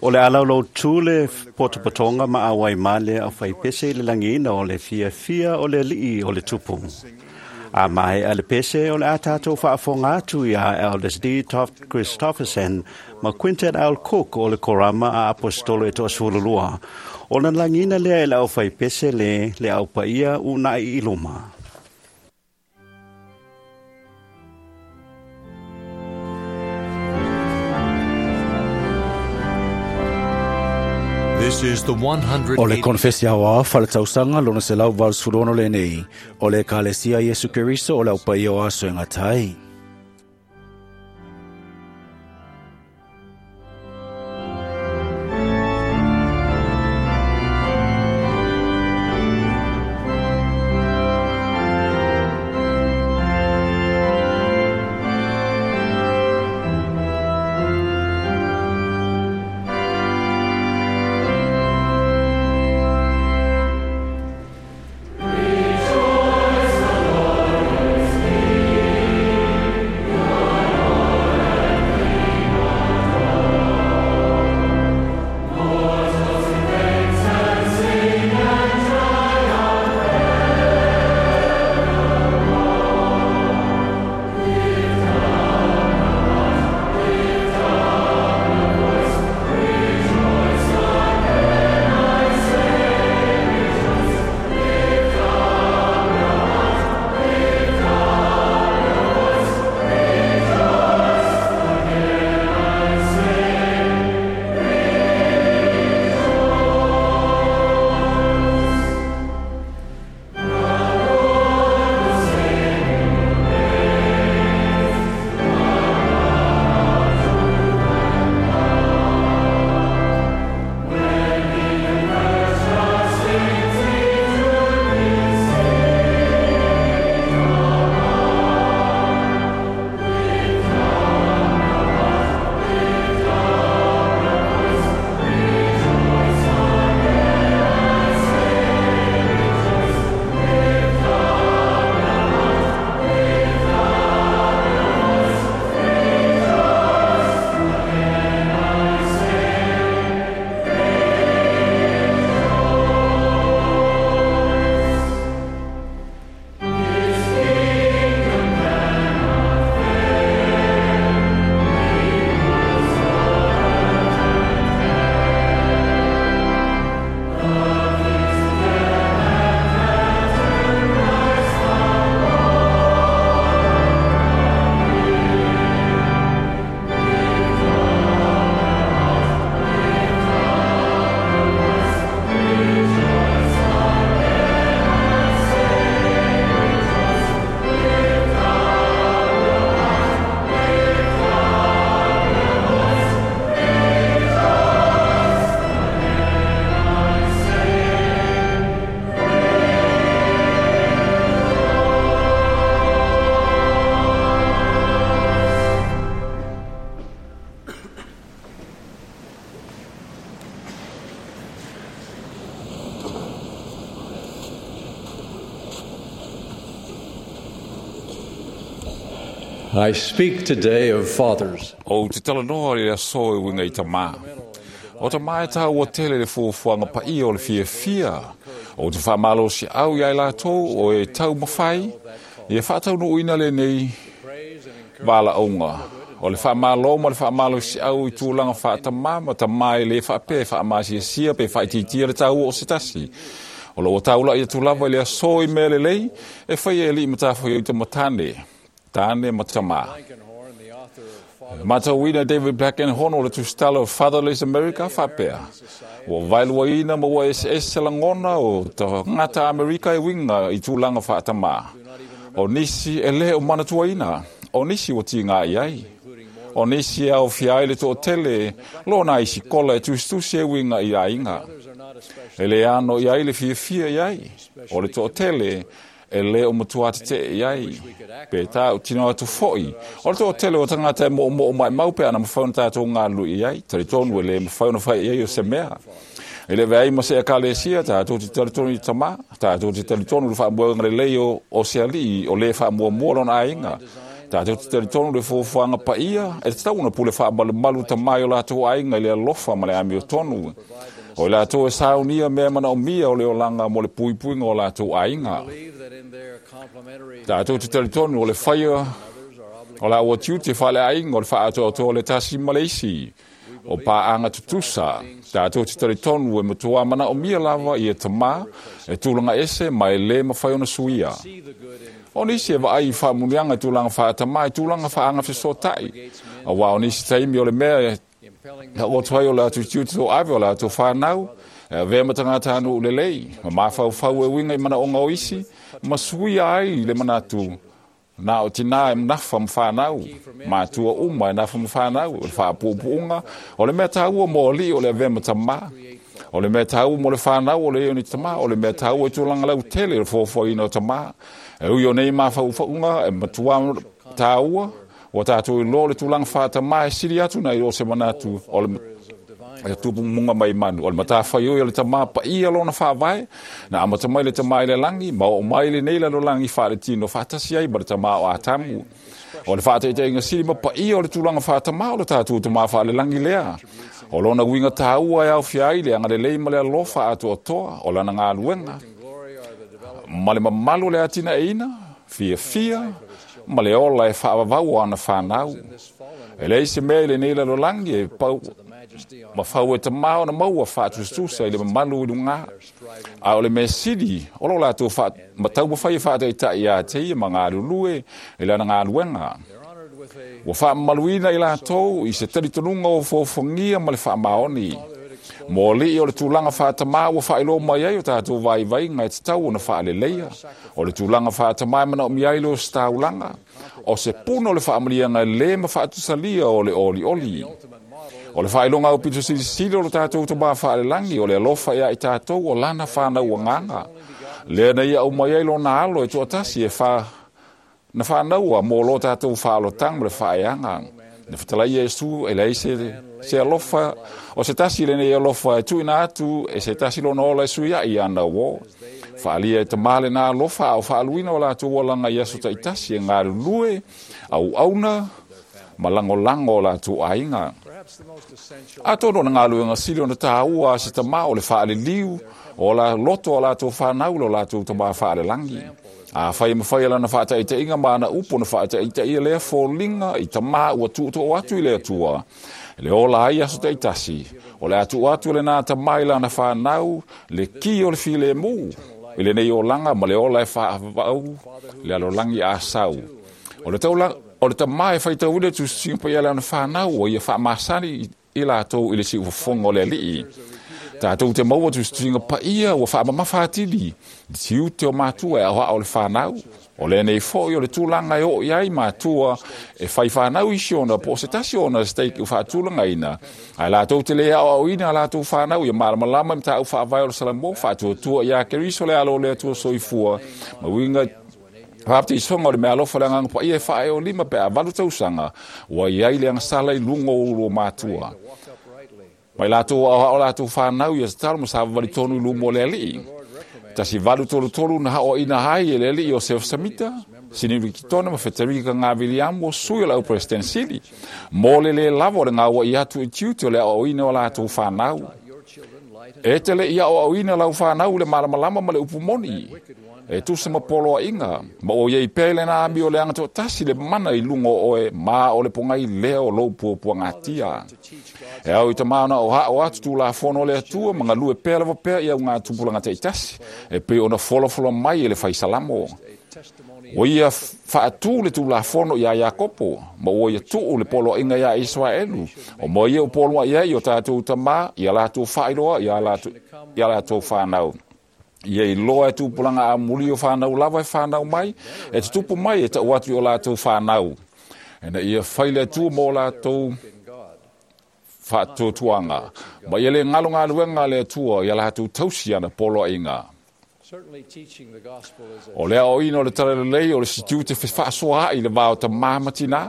O le alaulau tū le potopotonga ma awai male au whai pese i le langina o le fia fia o le lii o le tupu. A mai a le pese o le atato whaafonga atu i a Elders D. Toft Christofferson ma Quintet Al Cook o le korama a apostolo e toasululua. O na langina lea e le au whai pese le le au paia unai i luma.
This is the
O le
one hundred eighty
konfesi aoao faletausaga lona selau valusefulu lenei. O le Ekalesia Iesu Keriso o le aupaia o aso e gatai.
Rejoice, the Lord is here.
I speak today of fathers.
O te talanoa le aso e winga i tamā. O ta mai tā ua tele le fuafuaga paia o le fiafia. O te whaamalo si au i ai lātou o e tau mawhai, i e whaataunuuina le nei wala onga. O le whaamalo ma le whaamalo si au i tūlanga whaatamā ma tamā e le whaape, whaamasiasia pe whaititia le tau o se tasi. O lo o taula i tūlava i le aso i mea le lei, e whai e li matawhai o i tamatane, tāne matamā. Matauina David Blankenhorn o le tusitala o Fatherless America whapea. Ua vailuaina ma ua ese ese langona o ta ngata Amerika e winga i tūlanga whaatamā. O nisi e le o manatuaina, o nisi o tinga i ai. O nisi e au fiai le to'otele, lona i sikola e tusitusi e winga i ainga. E le ano i ai le fiafia i ai. O le to'otele, e le o matua te te i ai. Pe tā o tino atu foi. O le to'otele o tangata e mo mo mai mau pe ana mawhauna tātou ngā lui i ai. Taritonu e le mawhauna whai i ai o se mea. E le vei ma se ekalesia, tātou te taritonu i tamā, tātou te taritonu le whaamuanga le lei o, o se ali, o le whaamuamua lona ainga. Tātou te taritonu le fuafuaga paia, e te tauna pule whaamalumalu tamai o lātou ainga i le alofa ma le amio tonu. O i lātou e saunia mea mana o mia o le olanga mo le puipuinga o lātou ainga. Tātou te taritonu o le whaia o la ua tiute whale ainga o le whaatoatoa le tasi ma le isi. O pāanga tutusa, tātou te taritonu e matua mana o mia lava i e tamā, e tūlanga ese ma e le mawhai ona suia. O nisi e vaai i whaamunianga i tūlanga whaatamā, i tūlanga whaanga fesotai. A wā o nisi taimi o le mea e o tuai o le atu tiute tō ave o le atu whānau, e vea matangata anu u lelei, ma mawhau e winga i mana o ngau isi, ma suia ai le manatu. Nā o tina e mnafa mwhanau, mātua uma e nafa mwhanau, o le whaapuupuunga, o le mea tāua mō li o le avea matamā, o le mea tāua mō le whanau o le eo ni tamā, o le mea tāua e tūlanga lau tele o le fuafuaina o tamā. E ui o nei mawhauwhaunga e matua tāua, o tātou i lo le tūlanga whaatamā e siri atu nei o se manatu o le e tupu munga mai manu. O le matawhai oi o le tamā paia lona whaavae, na amata mai le tamā i le langi, ma o mai le nei lalo langi whaare tino whaatasi ai ma le tamā o Atamu. O le whaataiteinga siri ma paia o le tūlanga whaatamā o le tātou tamā whaale langi lea. O lona winga tāua e au fiai le anga le lei ma le alofa atu o toa, o lana ngā luenga. Ma le mamalu le atina e ina, fia fia, ma le ola e whaavavau o ana whanau. E lei se mea i le nei lalo langi e pau ma whau e te mao na maua whaatustusa i le mamalu i lunga. A o le mea siri, o lo lātou wha, matau mawhai e whaataitai a te ia ma ngā lulue i lana ngā luenga. Ua whaamaluina i lātou i se taritonunga o fōfongia ma le whaamaoni. Mō li o le tūlanga whaatamā ua whailo mai ai o tātou vai vai ngai te tau o na whaaleleia. O le tūlanga whaatamā e mana o miailo o staulanga. O se puno le whaamalianga le ma whaatusalia o le oli oli. O le whailonga o pito silisili o le tātou tamā whaalelangi, o le alofa ia i tātou o lana whanau anganga. Lea nei au mai ai lona alo e tuatasi e wha, na whanaua mō lo tātou whaalotang ma le whaeanga. Na whatalai Iesu e lei se, se alofa, o se tasi le nei alofa e tuina atu, e se tasi lona ola e suia i ana o. Whaalia e te male nā alofa au whaaluina o lātou olanga i aso taitasi e ngā lulue, au auna, ma langolango o lātou ainga. A tōno na ngā luenga sili o na tāua a se tamā o le whaale liu, o la loto o lātou whanau lo lātou tamā whaale langi. A whai mawhai alana whaataiteinga ma ana upo na whaataitaia lea fōlinga i tamā ua tuuto o atu i le atua. Le ola ai aso taitasi, o le atu atu le nā tamai lana whanau, le ki o le file mū, i le nei olanga ma le ola e whaavau, le alolangi a sau. O le taula, o le tamā e whaitauile tu singa pai ala na whanau o ia whaamasani i lātou i le si ufafonga o le alii. Tātou te maua tu singa paia ua whaamamawhatili, tiute te o mātua e ahoa o le whanau. O le nei foi o le tūlanga e o iai mātua e whai whanau isi ona, po se tasi ona steak u whaatūlanga ina. Ai lātou te lea o au ina a lātou whanau ia malamalama i mtaau whaavai o le salamo, whaatuatua ia keriso le alo le atua soifua. Ma winga Whapte i songa o le mea alofa le anganga pa ia e whae o lima pe a valu tausanga, ua iai le angasala i lungo o uro mātua. Mai lātou au o lātou whanau ia satalo ma sa wali tonu i lumo le alii. Tasi valu tolu tolu na hao ina hai e le alii o Sef Samita, Sinili Kitona ma Feterika Ngā o sui o le au President Sili. Mo le le lava o le ngā i atu i tiute o le aoaoina o latou whanau. E te le ia aoaoina lau whanau le malamalama ma le upumoni. E tusa ma poloa inga, ma o iei pele na ami o le anga tasi le mana i lungo oe, ma o le pongai leo lou puapua ngatia. E au i te maana o hao atu tū la fono le atua, ma ngalue pea lava pea i au ngā tupulanga te itasi, e pe ona folofolo mai e le whaisalamo. O ia whaatū le tū la fono ia Iakopo, ma o ia tuu le poloa inga ia Israelu, o mo ia o poloa ia i o tātou tamā, ia lātou whairoa, ia lātou, ia lātou whanau. Ia i loa e tupulanga a muli o whanau lava e whanau mai, e te tupu mai e tau atu i o lātou whanau. E na ia whaile atu mō lātou whaatutuanga. Ma ia le ngalo ngā luenga le atua ia lātou tausi ana poloa inga. O lea o ina o le talalelei o le sitiu te whaasoa i le vāo ta māmatina.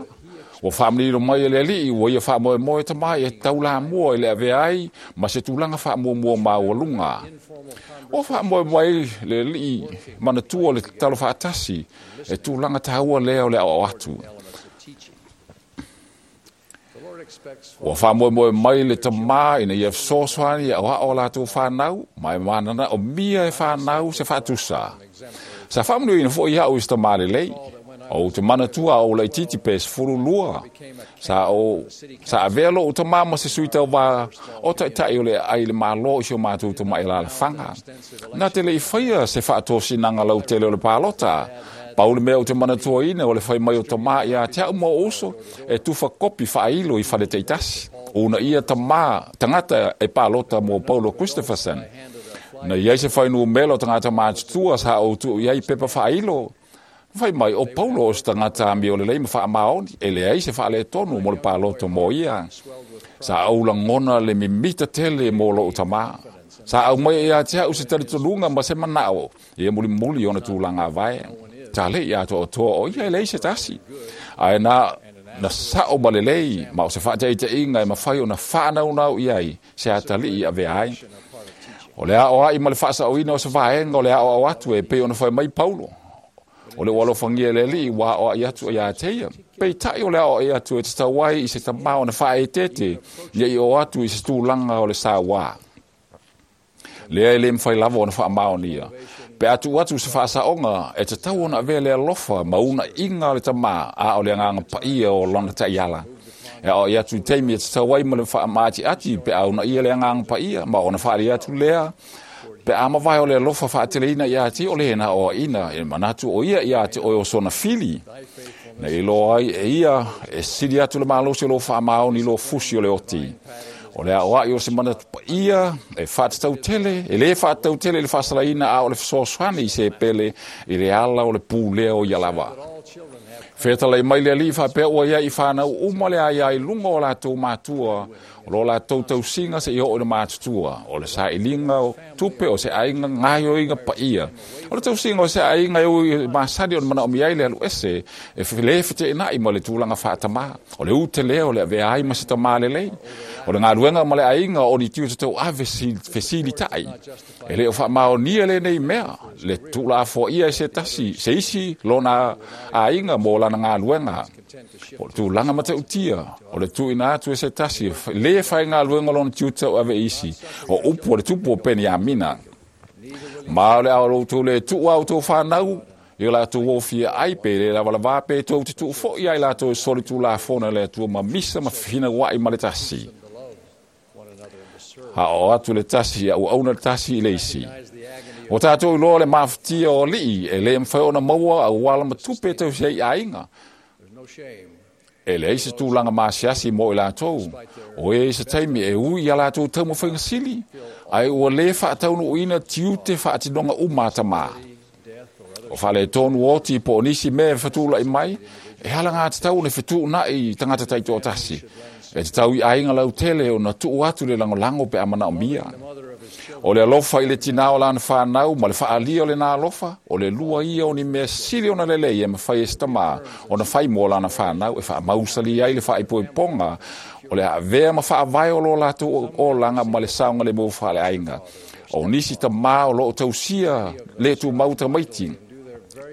O whaamlilo mai e le alii, o ia whaamoe moe ta mai e taula mua i le avea ai, ma se tūlanga whaamuamua māualunga. O whaamoe mai le alii, manatua le talo whaatasi, e tūlanga tāua lea o le ao atu. O whaamoe moe mai le tamā ina ia sosoani e oa o lātou whanau, mai manana o mia e whanau se whaatusa. Sa whaamunu ina fo ia o i tamā le lei. O te manatua o lei titi pe sefulu lua. Sa o sa avelo o tamama se sui tau vā o taitai o le ai le malo i si o mātou te mai la whanga. Nā te le i whaia se whaatōsinanga lau tele o le pālota. Paule mea o te manatua ina o le whai mai o tamā ia te au mua oso e tuwha kopi whailo i whare teitasi. Una ia tamā tangata e pālota mō Paulo Christopherson. Na iai se whainu melo tangata mātutua sa o tu iai pepa whailo. Whai mai o Paulo o se tangata ami o le lei ma whaamaoni, e le ai se whaale tonu mo le pāloto mō ia. Sa au langona le mimita tele mō lo tamā. Sa au mai e atea u se talitolunga ma se manao, e muli muli ona tūlanga vai. Ta le ia to o toa o ia e lei se tasi. Ai na, na sao ma le lei, ma o se whaatea i te inga e mawhai o na whanau nau iai, se atali i ave ai. O le ao ai ma le whaasa o ina o se vaenga o le ao au atu e pe ona whai mai Paulo. O le walofangia le li wa o ai atu ia teia. Pei tai o le ao ai atu e te tauai i se tamao na whae tete, ia i o atu i se tūlanga o le sā wā. Lea e le mwhai lava o na whaamao nia. Pe atu atu se whaasaonga e te tau ona avea le alofa ma una inga o le tamā a o le anganga paia o lona taiala. E o i atu i teimi e te tauai ma le whaamaati ati pe au na ia le anganga paia ma ona whaari atu lea. Pe ama vai o le alofa whaateleina ia te o le hena o ina, e manatu o ia ia te oe o sona fili. Na i loa ai e ia, e siri atu le malosi o lo whaamao ni lo fusi o le oti. O le ao ai o se manatu pa ia, e whaatatau tele, e le whaatatau tele le whaasalaina a o le whasoaswani i se pele, i le ala o le pūlea o ia lava. Whetalei mai le ali whapea ua ia i whanau uma le ai ai lunga o lātou mātua, o lo lātou tausinga se i o le mātutua, o le saelinga o tupe o se ainga ngaio inga paia. O le tausinga o se ainga o i masani o le mana o miai le alu ese, e le whete inai ma le tūlanga whaatamā, o le ute lea o le avea ai ma se tamā le lei. O le ngāruenga ma le ainga o ni tiu te tau ave fesili tai. E le o whaamao nia le nei mea, le tūla afo ia e se tasi, se isi lona ainga mō lana ngā luenga. O le tūlanga mata utia, o le tūina atu e se tasi, le whai ngā luenga lona tiu tau ave isi, o upu o le tupu o peni amina. Ma o le ao loutou le tuu au tau whanau, i o lātou wofia ai pe le lawalawa pe tau te tuu fo i ai lātou e soli tū la fona le atua ma misa ma whina wai ma le tasi. Ha o atu le tasi, au auna le tasi i le isi. O tātou loa le mafutia o lii, e le mwhai ona maua au wala matupe tau se i ainga. E le eise tūlanga maasiasi mo i lātou. O e eise taimi e ui a lātou tau mawhainga sili. Ai ua le whaataunu uina tiute whaatinonga umata mā. O whale tonu oti po o nisi me whatula i mai, e hala ngā te tau le whetu nai tangata taito o tasi. E te tau i ainga lau tele o na tuu atu le langolango pe amana o mia. O le alofa i le tina o lana whanau, ma le whaalia o le nā alofa, o le lua ia o ni mea sili o na lelei e mawhai e stamā, o na whai mō lana whanau, e whaamausali ai le whaipoiponga, o le avea ma whaawai o lo lātou o langa ma le saunga le mō whaale ainga. O nisi tamā o loo tausia le tū mauta maiti,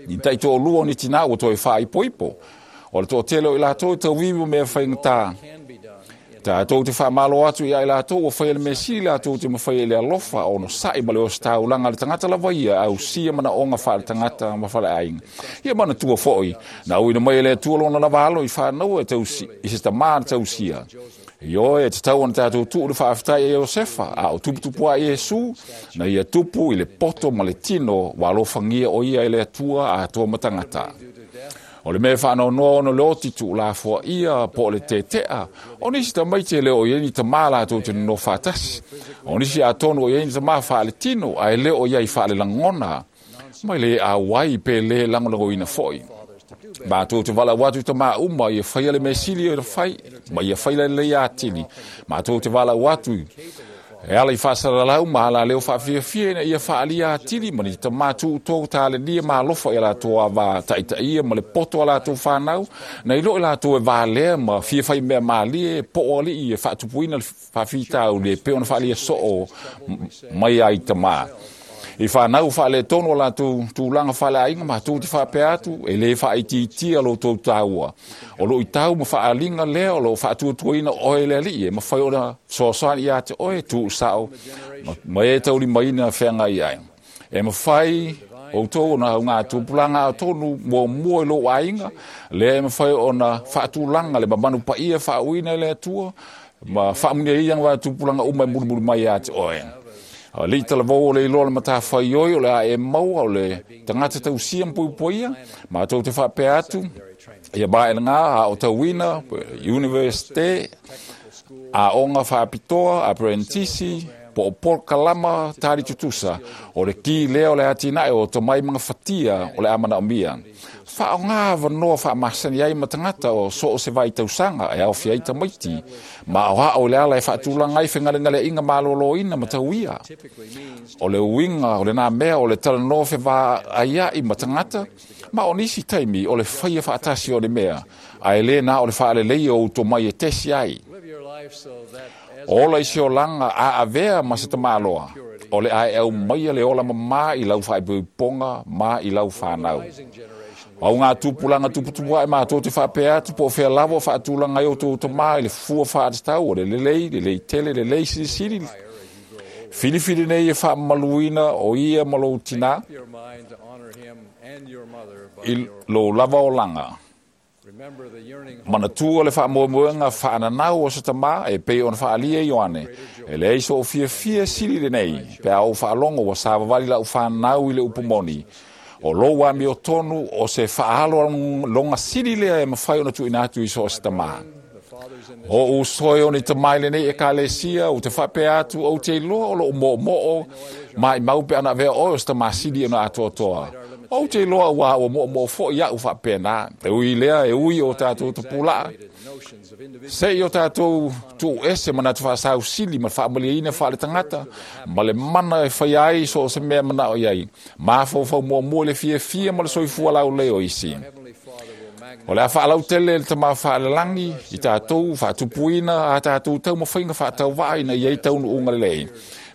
Ni taitoalua o ni tinā ua toe faaipoipo. O le toatele o i latou e tauivi ma mea faigata. Tatou te faamalo atu ia i latou ua faia le mea sili latou te mafaia i le alofa onosa'i ma le ositaulaga a le tagata lava ia ausia manaoga faaletagata ma faleaiga. Ia manatua fo'i, na auina mai e le Atua lona lava alo i fanaua e tausi, i se tamā na tausia. Ioe, e tatau ona tatou tuu le faafetai e Iosefa, a o tuputupu a Iesu, na ia tupu i le poto ma le tino ua alofagia o ia e le Atua atoa ma tagata. O le mea faanoanoa ona le oti tuulafoaia po o le tetea, o nisi tamaiti e le o i ai ni tamā latou te nonofo faatasi. O nisi atonu o i ai ni tamā faaletino, ae le o i ai faalelagona, ma le auai pe le lagolagoina fo'i. Matou te valaau atu i tamā uma ia faia le mea sili e fai, ma ia fai lelei atili. Matou te valaau atu e ala i faasalalau ma alaleo faafiafia ina ia faaalia atili ma ni tamā tuutou talenia ma alofa i a latou ava taitaia ma le poto a latou fanau, na i lo i latou e valea ma fia fai mea malie po o alii e faatupuina le faafitauli e pei ona faaalia soo mai ai tamā. I fanau faaletonu o latou tulaga faaleaiga matou te faapea atu e lē faaitiitia lo tou taua. O loo itau ma faaaliga lea o loo faatuatuaina oe le alii e mafai ona fesoasoani ia te oe tuusao ma e taulimaina feagai ai. E mafai outou ona augatupulaga atonu muamua i lou aiga, lea e mafai ona faatulaga le mamanu paia faauuina e le Atua ma faamuniaia gatupulaga uma e mulimuli mai ia te oe. Alii talavou o le iloa le matafaioi o le a e maua o le tagata tausia ma puipuia, matou te faapea atu, ia maelega a o tauina, universite, aoga faapitoa, apprentice, po o polokalama tali tutusa, o le ki lea o le atinae o tomai magafatia o le a manaomia. Faaaoga avanoa faamasani ai ma tagata o so o se vaitausaga e aofia ai tamaiti, ma o ao i le ala e faatulaga ai fegalegaleaiga malōlōina ma tauia. O le uiga o lenā mea o le talanoa fevaaia'i ma tagata, ma o nisi taimi o le faia faatasi o le mea, ae lē na o le faaleleia o uto mai e tesi ai. Ola i se olaga a avea ma se tamāloa, o le a e aumaia le ola mamā i lau faaipoipoga ma i lau fanau. Au ngā tupulaga tuputupu ae matou te faapea atu po o fea lava o faatulaga ai o tou tamā i le fua faatatau o le lelei, lelei tele, lelei silisili. Filifili nei e faamamaluina o ia ma lou tinā i lou lava olaga. Manatua le faamoemoega faananau o se tamā e pei ona faaalia Ioane. E leai so o fiafia sili lenei, pe a ou faalogo ua savavali lau fanau i le upu moni. O lou amiotonu o se faaalo loga sili lea e mafai ona tuuina atu i so o se tamā. O usoe o ni tamai lenei ekalesia, u te faapea atu ou te iloa o loo moomoo maimau pe ana avea oe o se tamā sili ona atoatoa. Ou te iloa ua ua moomoo fo'i a'u faapenā. E ui lea e ui o tatou tapulaa. Se'i o tatou tuuese manatu faasausili ma le faamaliaina faaletagata ma le mana e faia ai so o se mea manao i ai. Mafaufau muamua i le fiafia ma le soifua laulei o isi. O le a faalautele le tamā faalelagi i tatou faatupuina a tatou taumafaiga faatauvaa ina ia i taunuuga lelei.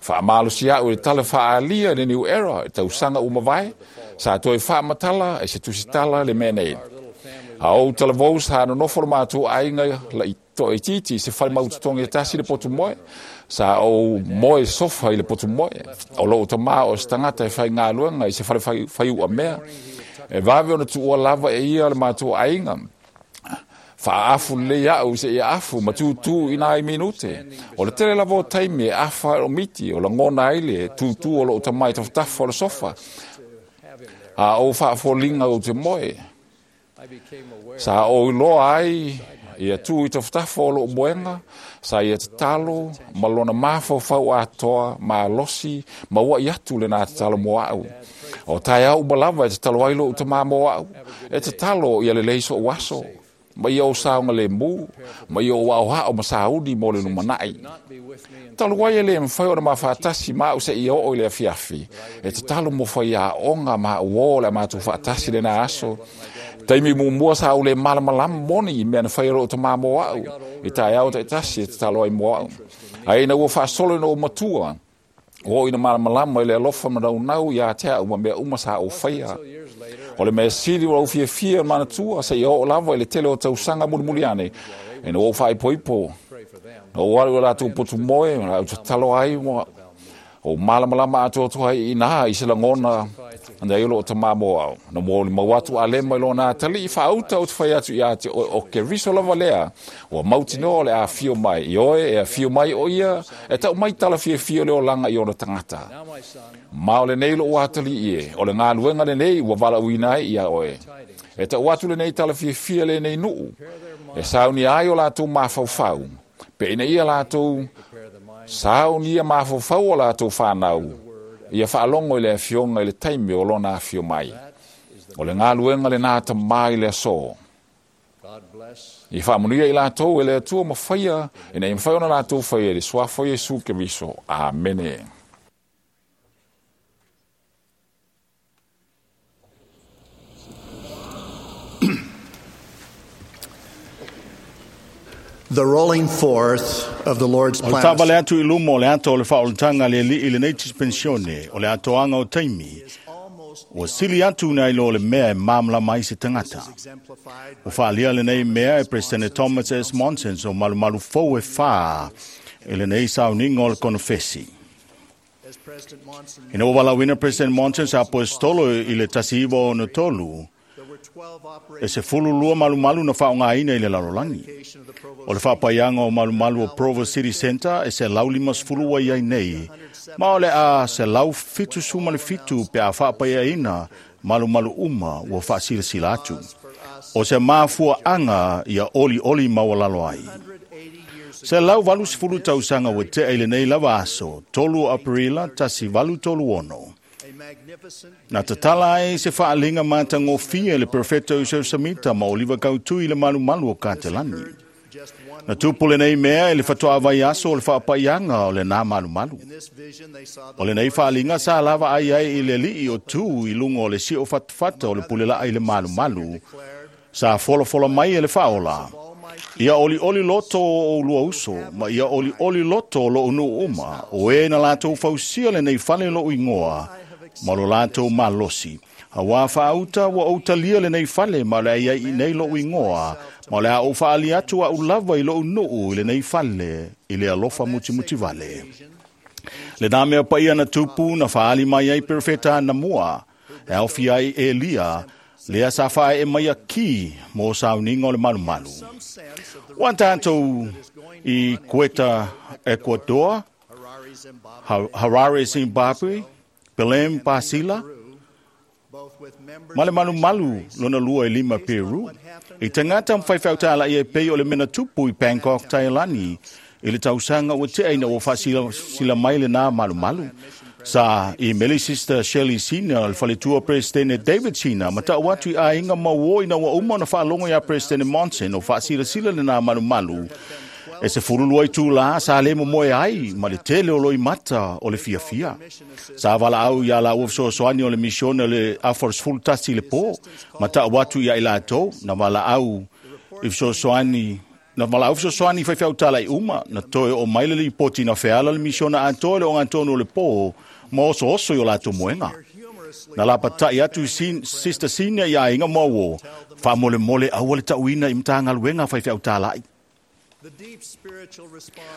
Faamalosi a'u i le tala faaalia i le New Era i tausaga ua mavae, sa toe faamatala e se tusitala le mea nei. A ou talavou sa nonofo le matou aiga la'i toaitiiti i se fale mautotogi e tasi le potu moe, sa ou moe sofa i le potu moe. O lou tamā o se tagata e faigaluega i se fale faiuamea, e vave ona tuua lava e ia le matou aiga. Faaafu lelei a'u i seia afu ma tutū i nai minute. O le tele lava o taimi e afa ai o miti, o lagona ai le tutū o lou tamā i tafatafa o le sofa. A ou faafoliga ou te moe. Sa ou iloa ai ia tū i tafatafa o lou moega, sa ia tatalo ma lona mafaufau atoa malosi ma ua'i atu lenā tatalo mo a'u. O taeao uma lava e tatalo ai lou tamā mo a'u, e tatalo ia lelei so'u aso, ma ia ou saogalēmū, ma ia ou aoao ma sauni mo le lumana'i. Talu ai e lē mafai ona mafaatasi ma a'u seia oo i le afiafi, e tatalo mo faiaoga ma a'u ō le a matou faatasi lenā aso. Taimi muamua sa ou lē malamalama moni i mea na faia lou tamā mo a'u, i taeao taitasi e tatalo ai mo a'u. Ae ina ua faasolo ina ou matua, O ina malamalama i le alofa ma naunau ia te au ma mea uma sa o whaia. O le mea sili o au fiafia manatua se i o lava i le tele o tausaga mulimuli ane. E na o whaipoipo. Na o alu o lātou potu moe, na au tatalo ai mo o malamalama atoatoa ai i nā i se lagona na i o loo tamā mo au. Na mo mau atu a lema i lona atali i whaauta o te whai atu i a te o, o ke riso lava lea. Ua mautinoa o le a fio mai i oe, e a fio mai o ia, e tau mai tala fia fio le o langa i ona tangata. Ma o le nei lo o atali i e, o le ngā luenga le nei ua vala uina ai ia oe. E tau atu le nei tala fia fia le nei nuu, e sauni ai o lātou mafaufau. Pe ina ia lātou sauni ia mafaufau o lātou whanau, ia whaalongo i le afionga i le taimi o lona afio mai. O le ngā luenga le nā tamai le aso. I whaamunia i lātou e le atua mawhaia, ina i mwhai ona lātou whaia le suafo Iesu Keriso. Amene.
The rolling forth of the Lord's
O le
plan.
tāvale atu i lumo o le ato o le whaolotanga le li i le nei dispensione o le atoanga o taimi. Ua sili atu nai lo le mea e mamla mai se tangata. O whaalia le nei mea e President Thomas S. Monson o malumalu fou e whā e le nei sauninga o le konofesi. Ina ua walauina President Monson sa apostolo i le tasi iwa o tolu, e se fulu lua malumalu na whaongaina i le lalolagi. O le whapaianga o malumalu o Provo City Center e se lau lima sefulu wa iai nei, ma o le a se lau fitu suma le fitu pe a whapaiaina malumalu uma ua whaasilasila atu. O se mafua anga ia oli oli maualalo ai. Se lau valu sefulu tausaga ua tea i lenei lava aso, tolu Aperila tasi valu tolu ono. Na tatala ai se whaalinga mātangofia le Perfecto Joseph Samita ma Oliva Kautui le malumalu o Katelani. Na tupu le nei mea e le whatoa vai aso o le whaapaianga o le nā malumalu. O le nei whaalinga sa lava ai ai i le lii o tū i lunga o le sio fatafata o le pulelaa i le malumalu. Sa folofola mai e le whaola. Ia oli oli loto o lua uso, ma ia oli oli loto o lo unu uma, o e na lātou fausia le nei whale lo ingoa, ma lo lātou malosi. Hawa whaauta wa autalia le nei whale ma le ai i nei lo ingoa, ma le a o whaali atu a ulava i lo unuu i le nei whale i le alofa mutimuti vale. Le nā mea paia na tupu na whaali mai ai perfeta na mua, e au ai Elia, lea sa whae e mai a ki mō sauninga o le malumalu. Ua tātou i Quetta, Ecuador, Harare, Zimbabwe, Belém, Basila, ma le malumalu lona lua e lima Peru. I tangata mwhaiwhautala i e pei o le mena tupu i Bangkok, Thailand, i le tausaga ua tea ina ua faasila mai le nā malumalu. Sa i meli Sister Shelley Senior, le faletua President David Senior, ma tau atu i aiga mauo ina ua uma ona faalogo iā President Monson o faasilasila le nā malumalu. E se fulu lua itulā sa le momoe ai ma le tele o loimata o le fiafia. Sa valaau iā laua fesoasoani o le misione o le afa o le sefulu tasi i le pō, ma tau atu ia i latou na valaau i fesoasoani na valaau fesoasoani i faifeautala i uma, na toe o mai le lipoti na feala le misiona atoa le ogatonu o le pō, ma osooso i o latou moega. Na lapatai atu Sister Senior ia aiga mauo, faamolemole aua le tauina i matagaluega faifeautalai.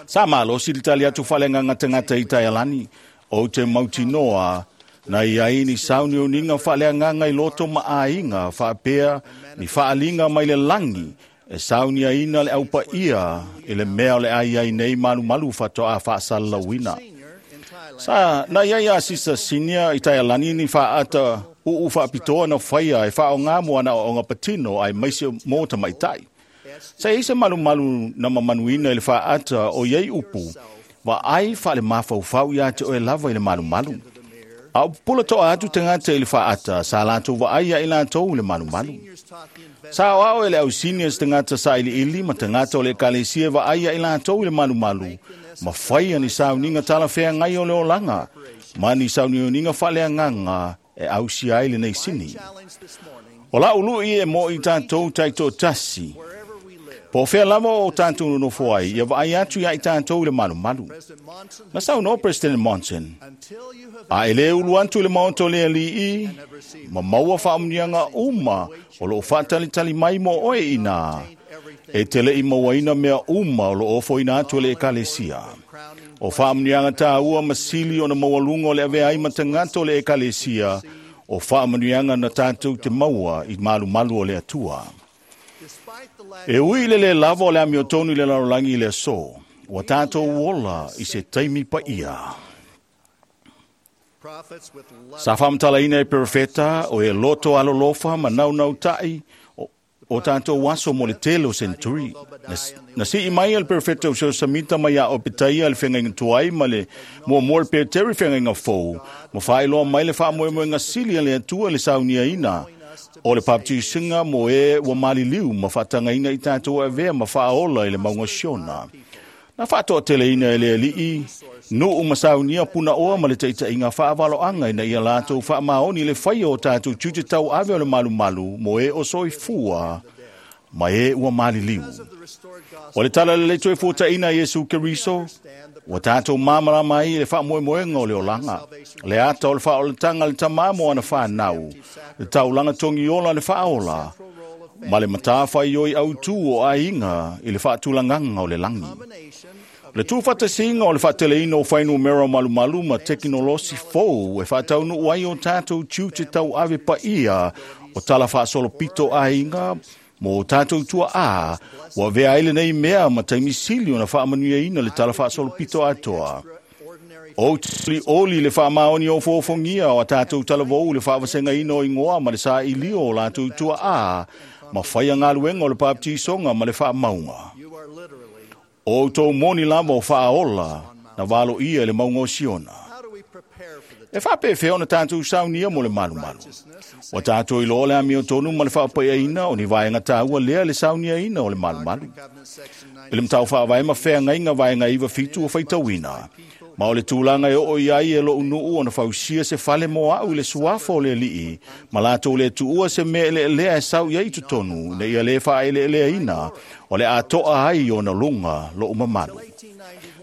Sa malosi le tali atu faaleagaga tagata i Taialani, o te mautinoa na iai ni sauniuniga faaleagaga i loto ma aiga faapea ni faaliga mai le lagi e sauniaina le aupaia i le mea o le ai ai nei malumalu faatoa faasalalauina. Sa na iai a Sisa Senior i Taialani ni faaata uu faapitoa na faia e faaogā mo ana aoaoga patino ae maise mo tamaitai. Sa iai se malumalu na mamanuina i le faaata o iai upu, wa ai faale mafaufau iā te oe lava i le malumalu. A o pupula toa atu tagata i le faaata, sa latou vaai ia i latou i le malumalu. Sa aoao e le au seniors tagata sa iliili ma tagata o le ekalesia e vaai ia i latou i le malumalu, ma faia ni sauniga talafeagai o le olaga, ma ni sauniuniga faaleagaga e ausia ai lenei sini. O lau lui e mo i tātou taitoatasi,
Po fea lava o tātou nonofo ai, ia vaai atu ia i tātou i le malumalu. Na saunoa President Monson, a e le ulu atu i le maota o le alii, ma maua faamuniaga uma o loo faatalitali mai mo oe ina, e te le i mauaina mea uma o loo ofoina atu e le ekalesia. O faamuniaga tāua ma sili ona maualuga o le avea ai ma tagata o le ekalesia, o faamanuiaga na tātou te maua i malumalu o le Atua. E ui le le lava o le amiotonu i le lalolagi i le aso, ua tātou ola i se taimi paia. Sa faamatalaina e perofeta o e loto alolofa ma naunautai o, o tātou aso mo le tele o senturi. Na, na sii mai e le perofeta o seo samita mai a o petaia le whengaiga tuai ma le muamua le peteri whengaiga fou, ma whaeloa mai le whaamoemoenga sili a le Atua le sauniaina o le baptisinga mo e ua maliliu ma whaatangaina i tātou avea ma whaaola i le maunga Siona. Na whaatoateleina e le alii, nuu masaunia puna oa ma le taitaiga faavaloanga ina ia latou faamaoni le faia o tatou tiute tauave o le malumalu mo e o soifua ma e ua maliliu. O le tala lelei toe fuataina Iesu Keriso, ua tatou māmalama ai i le faamoemoega o le olaga, le ata o le faaolataga le tamā mo ana whanau, le taulaga togiola le faaola, ma le matawhaioi autū o aiga i le faatulagaga o le lagi. Le tūfatasiga o le faateleina o whainumera malumalu ma tekinolosi fou e whaataunu ai o tātou tiute tauave paia o tala faasolopito aiga mo tātou tua a, ua vea ai lenei mea ma taimisili ona faamanuiaina le tala faasolopito atoa. O tuli oli le faamaoni o foofogia o a tātou talavou le faavasegaina o ingoa ma le sailio o latou tua a, ma whaia ngaluenga o le baptisoga ma le faamauga. O tō moni lava o faaola na valo ia i le maunga o Siona. E whaapewhea ona tātou saunia mo le malumalu. O tātou i loa le amiotonu ma le faapaiaina o ni vaenga tāua lea le sauniaina o le malumalu. I le matau whaavae ma wheangaiga vaenga iwa fitu o whaitauina. Ma o le tulaga e oo i ai e lou nuu ona fausia se fale mo au i le suafa o le alii, ma latou le tuua se mea eleelea e sau i ai i totonu, ina ia lē faaeleeleaina, o le atoa ai ona luga lou mamalu.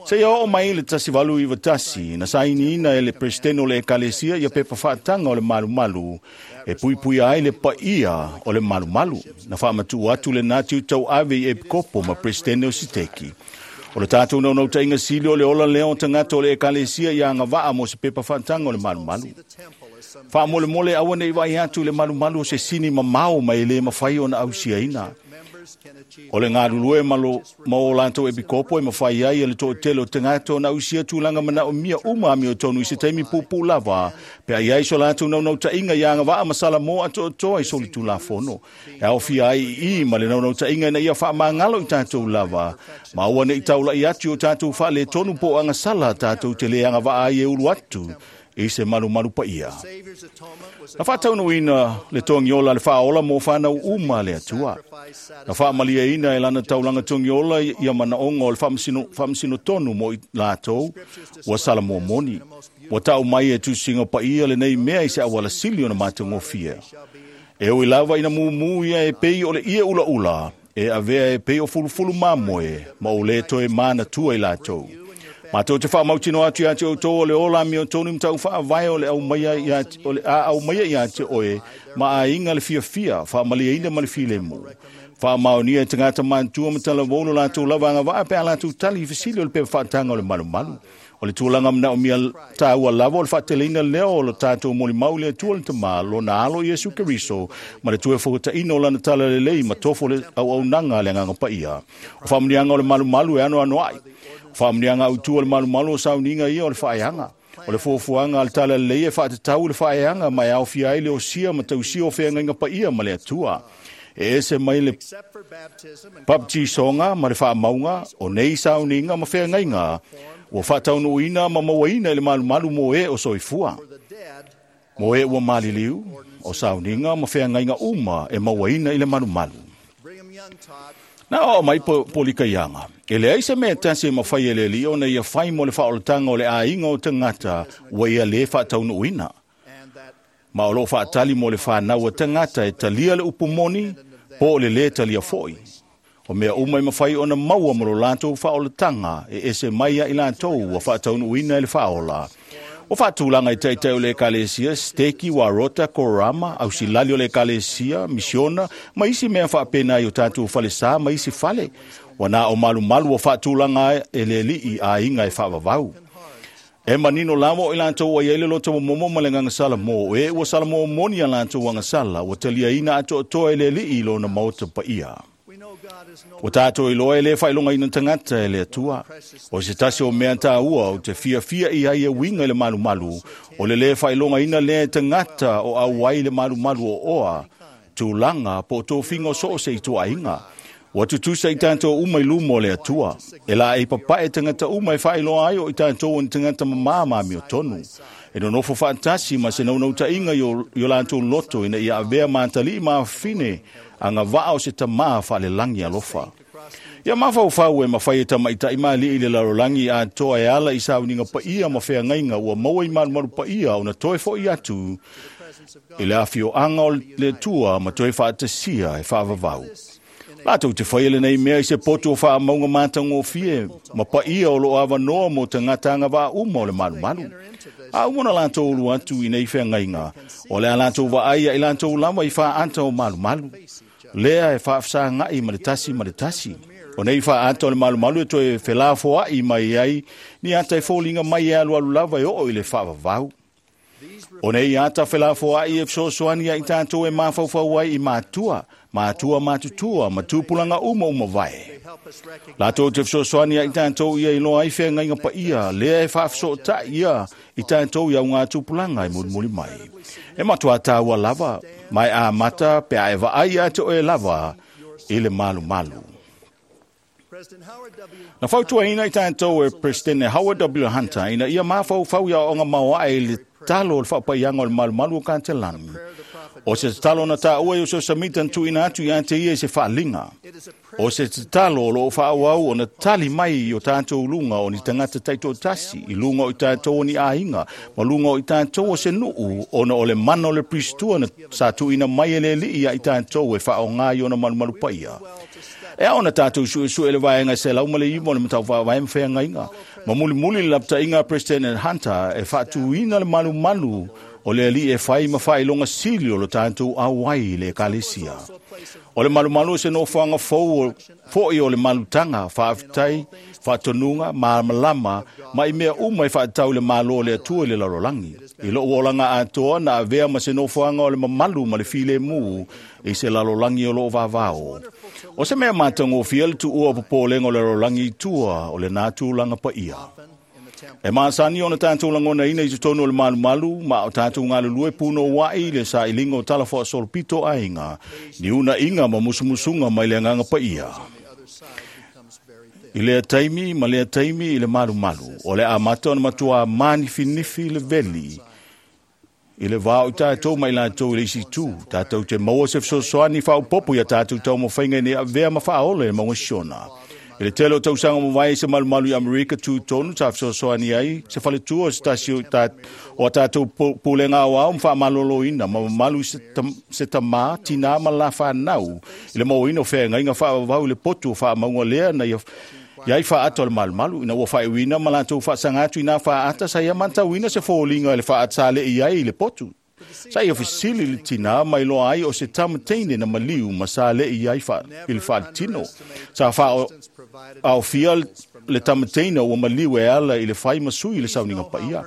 Seia oo mai le tasi valu iwa tasi, na sainiina e le presidente o le ekalesia ia pepa faataga o le malumalu, e puipuia ai le paia o le malumalu, na faamatuu atu lenā tiutauave i epikopo ma presidente o Siteki. O le tātou naunautaiga sili o le ola lea o tagata o le ekalesia ia agavaa mo se pepa faataga o le malumalu. Faamolemole aua nei vaai atu i le malumalu o se sini mamao ma e lē mafai ona ausiaina. O le galulue ma lo ma o latou epikopo e mafai ai e le toatele o tagata ona ausia tulaga manaomia uma amiotonu i se taimi puupuu lava, pe ai ai so latou naunautaiga ia agavaa ma salamo atoatoa i solitulafono. E aofia ai i i ma le naunautaiga ina ia faamagalo i tatou lava, ma aua nei taulai atu i o tatou faaletonu po o agasala tatou te lē agavaa ai e ulu atu i se malumalu paia. Na faataunuuina le togiola le faaola mo whanau uma le Atua. Na faamaliaina e lana taulaga togiola ia manaoga o le faamasino, faamasino tonu mo i latou ua salamoa moni. Ua tau mai e tusiga paia lenei mea i se auala sili ona matagofie. E ui lava ina mumu ia e pei o le ie ulaula, e avea e pei o fulufulu mamoe, ma o le toe manatua i latou. Mātou te whaamautino atu ia te outou o le ola amiotonu matau faavae o le aumaia ia o le a aumaia ia te oe ma aiga le fiafia faamaliaina ma le filemu. Faamaonia e tagata matutua ma talavou lo latou lava agavaa pe a latou tali i fesili o le pepa faataga o le malumalu. O le tulaga manaomia tāua lava o le faateleina lea o lo tātou molimau i le Atua le Tamā, lona alo Iesu Keriso, ma le toe fokataina o lana tala lelei ma tofo le auaunaga a le Agaga Paia. O faamanuiaga o le malumalu e anoano ai. O faamanuiaga autu o le malumalu o sauniga ia o le faeaga. O le fuafuaga a le tala lelei e faatatau i le faeaga ma e aofia ai le osia ma tausia o feagaiga paia ma le Atua. E ese mai le baptisoga ma le faamauga o nei sauniga ma feagaiga ua faataunuuina ma mauaina i le malumalu mo e o soifua. Mo e ua maliliu, o sauniga ma feagaiga uma e mauaina i le malumalu. Na oo mai po, polikaiaga. E leai se mea tasi e mafai e le alii ona ia fai mo le faaolataga o le aiga o tagata ua ia lē faataunuuina. Ma o loo faatali mo le whanau a tagata e talia le upu moni, po o le lē talia foi.
O mea uma e mawhai ona maua mo lo lātou whaolatanga e ese mai a i lātou ua whaataunuina e le whaola. O whaatulanga i taitai o le ekalesia, steki wa rota korama, au silali o le ekalesia, misiona, ma isi mea whaapena i o tātou whalesa, ma isi whale. Wana o malu malu o whaatulanga e le lii a inga e whaavavau. E manino lava o i lātou ai ele loto momo ma le ngangasala mō e ua sala mō moni a lātou angasala ua talia ina ato atoa e le lii i lona maota pa ia. O tātou i loa e le whailonga ina tangata e le atua. O se tasi o mea tā ua o te fia fia i ai e winga i le malu malu. O le le whailonga ina le tangata o au ai le malu malu o oa. Tūlanga po tō fingo so o se i tua inga. Ua tutusa i tātou uma i lumo le atua. E la e papae tangata uma e whailoa ai o i tātou o tangata mamā mi o tonu. E nonofo whaatasi ma se naunauta inga i o lātou loto ina ia avea mātali ma whine a ngā vaa o se tamā whaale langi alofa. Ia mawhau e mawhai e tamaitai maali i le larolangi a toa e ala i sauninga paia ma whea ngainga ua maua i marumaru paia o na toe fo i atu i le awhio anga o le tua ma toe whaatasia e whaavavau. Lātou te whai ele nei mea i se poto o wha maunga mātango fie, ma paia o lo awanoa mo te ngatanga vā uma o le malumalu. A umona lātou ulu atu i nei whea ngainga, o le a lātou vaai i lātou lava i wha anta o malumalu. Lea e whaafsa ngai ma le tasi ma le tasi. O nei wha anta o le malumalu e toe whelāfoa i mai ai, ni ata e fōlinga mai e alu alu lava e oo i le whaavavau. O nei ata whelāfoa i e wsosoani a i tātou e māwhauwhau ai i mātua, mātua mātutua, matupulanga uma uma vai. Lātou te wsosoani a i tātou ia i loa ai whea ngainga pa ia, lea e whaafso ta ia i tātou ia ngā tupulanga i murimuri mai. E matua tāua lava, mai a mata pe a e vaai a te oe lava i le malu malu. Na whautuaina i tātou e President Howard W. Hunter ina ia māwhauwhau ia o ngā maua e le talo o le whapaianga o le malumalu o ka te lani. O se talo na tā ua i o se samita tu ina atu i ate ia i se whaalinga. O se talo o lo whaawau o na tali mai i o tātou lunga o ni tangata taito tasi, i lunga o i tātou o ni āinga, ma lunga o i tātou o se nuu, ona o le mana o le pristua na sa tu ina mai e le li ia i tātou e whaonga i o na malumalu paia. E ao na tātou sue sue le vaenga se lau male imo le matau whaawai mwhea ngainga. Ma muli muli le lapta inga President Hunter e whaatuina le malu malu o le ali e whai ma whai longa sili o lo tātou awai le ekalesia. O le malu malu se no whanga fōi o le malutanga, whaaftai, whaatonunga, maamalama, ma i mea uma i whaatau le malo o le atua i le larolangi. I lo uolanga atoa na avea ma se no whanga o le mamalu ma le file mū i se lalolangi o lo vavao. O se mea mātango fia le tuua popolenga o le larolangi i tua o le nātūlanga pa ia. E maasani o na tātou langona ina i te tonu o le malumalu, ma o tātou ngā puno wai le sa ilinga o talafoa solopito ainga, ni una inga ma musumusunga mai le nganga pa ia. I lea taimi ma lea taimi i le malumalu, o le amata o na matua mani finifi le veli, i le vāo i tātou mai lātou i le isi tū, tātou te maua se wsosoani whaopopo ia tātou tau mawhainga nei a vea ma whaole e maunga siona. I le tele o tausanga mawai se malumalu i Amerika tū tonu, tā wsosoani ai, se whaletua o se tasi o tātou pūlenga au au mwha malolo ina, ma mamalu se, tam, se tamā, tina ma la whanau, i le mauina o whea ngainga whaawau i le potu o wha maunga lea na ia iai whaata o le malumalu, ina ua whaewina ma lātou whaasanga atu ina whaata, sa ia mantauina se fōlinga i le whaata le i ai i le potu. Sa ia fisili le tina mai loa ai o se tamateine na maliu ma sa le i ai i le whaatino. Sa wha au fia le tamateina ua maliu e ala i le whai masui i le sauninga paia.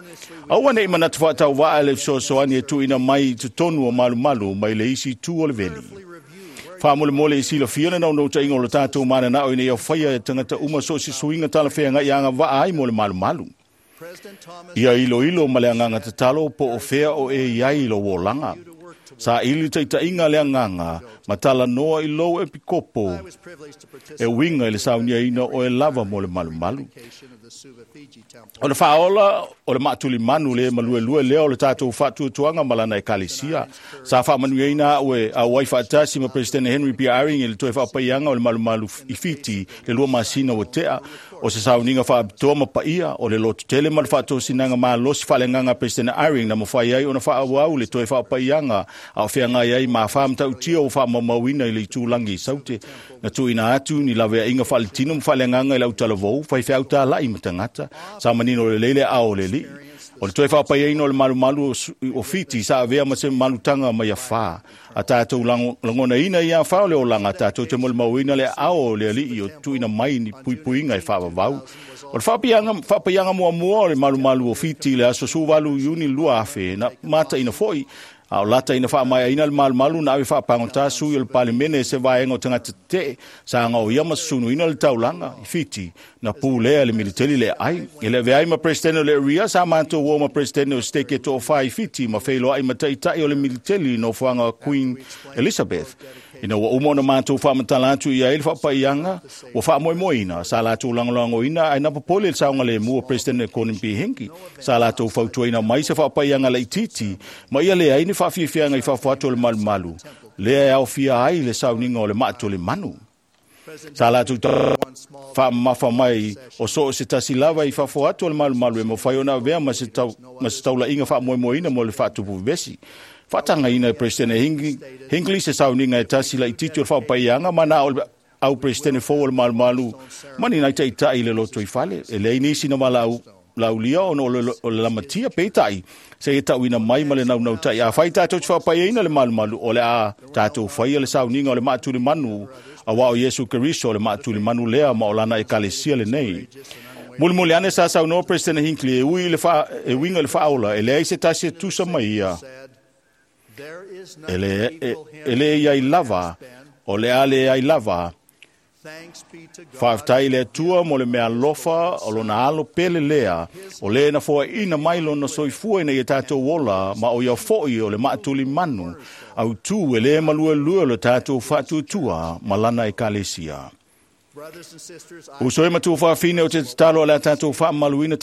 Aua nei manatu whaatau waa le wsosoani e tuina mai i tonu o malumalu mai le isi tu o le veli. Whaamole mole i sila fia le nau ta inga o le tātou mana nao i nei au whaia e tangata uma so si suinga tala whea ngai anga waa ai mo le malumalu. Ia ilo ilo ma le anganga tatalo po o whea o e iai ilo wōlanga. Sa ili taita inga le anganga, matala noa i lou e pikopo, e winga i le saunia ina o e lava mo le malumalu. O le whaola o le maatuli manu le malue lue lea o le tātou whaatuatuanga malana e kalesia. Sa whaamanuia ina au e au ai whaatasi ma President Henry P. Aring i le toe whaapaianga o le malumalu i Fiti le lua masina o tea.
O se sauniga faapitoa ma paia o le lototele ma le faatosinaga malosi faaleagaga a Peresetene Eyring na mafai ai ona faaauau le toe faapaiaga a o feagai ai ma afa matautia ua faamaumauina i le itulagi i Saute na tuuina atu ni laveaiga faaletino ma faaleagaga i le autalavou faifeau talai ma tagata sa manino lelei le aao o le alii. O le toe faapaiaina o le malumalu o Fiti sa avea ma se malutaga mai afā. A tatou lagonaina ia afā o le olaga, tatou te molimauina le aao o le alii o tuuina mai ni puipuiga e faavavau. O le faapaiaga muamua o le malumalu o Fiti i le aso sefuluvalu Iuni lua afe na mataina foi a o lata ina faamaeaina le malumalu na ave faapagota sui o le Palemene se vaega o tagata tetee sa gaoia ma susunuina le taulaga i Fiti na pulea e le militeli le aai. E le avea ai ma Peresetene o le Area sa matou o ma Peresetene o Seteke toafa i Fiti ma feiloai ma taitai o le militeli i nofoaga Queen Elizabeth. Ina ua uma ona matou faamatala atu i ai le faapaiaga ua faamoemoeina sa latou lagolagoina ae na popole le saogalemu o Peresetene Gordon B. Hinckley sa latou fautuaina mai se faapaiaga laitiiti ma ia leai ni faafiafiaga i fafo atu o le malumalu lea e aofia ai le sauniga o le maatolemanu. Sa latou faamamafa mai o so o se tasi lava i fafo atu o le malumalu e mafai ona avea ma se taulaiga faamoemoeina mo le faatupu vevesi. Faatagaina e Peresetene Hinckley se sauniga e tasi laitiiti o le faapaiaga ma na o le au Peresetene fou o le malumalu ma ni nai taitai i le loto i fale. E leai nisi na valaau laulia ona o le lamatia peitai se e tauina mai ma le naunautai. A fai tatou te faapaiaina le malumalu o le a tatou faia le sauniga o le maatulimanu auā o Iesu Keriso o le maatulimanu lea ma o lana ekalesia lenei. Mulimuli ane sa saunoa Peresetene Hinckley e ui le fa, e uiga i le faaola e leai se tasi e tusa mai ia e le, e, e le iai lava o le a leai lava. Faafetai i le Atua mo le mea alofa o lona alo pele lea, o le na foaina mai lona soifua ina ia tatou ola, ma o ia foi o le maatulimanu, autū e le maluelue o le tatou faatuatua ma lana ekalesia. Uso e matua faafine o te tatalo o le a tatou faamaluina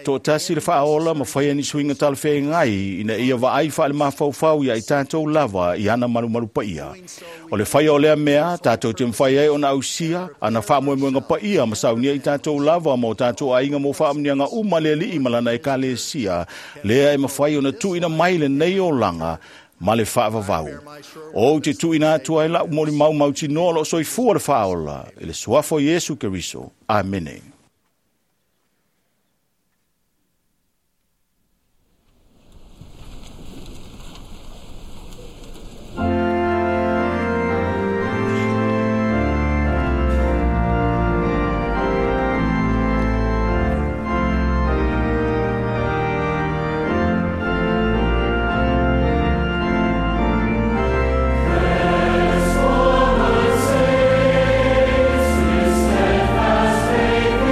toatasi le faaola ma faia ni suiga talafeagai ina ia vaai faale-mafaufau ia i tatou lava i ana malumalu paia. O le faia o lea mea, tatou te mafai ai ona ausia, ana faamoemoega paia ma saunia i tatou lava ma o tatou aiga mo faamuniaga uma le alii ma lana ekalesia, lea e mafai ona tuuina mai lenei olaga ma le faavavau. O te tuuina atu ai lau molimau mautinoa o loo soifua le faaola i le suafa o Iesu Keriso. Amene.
Steadfast faith.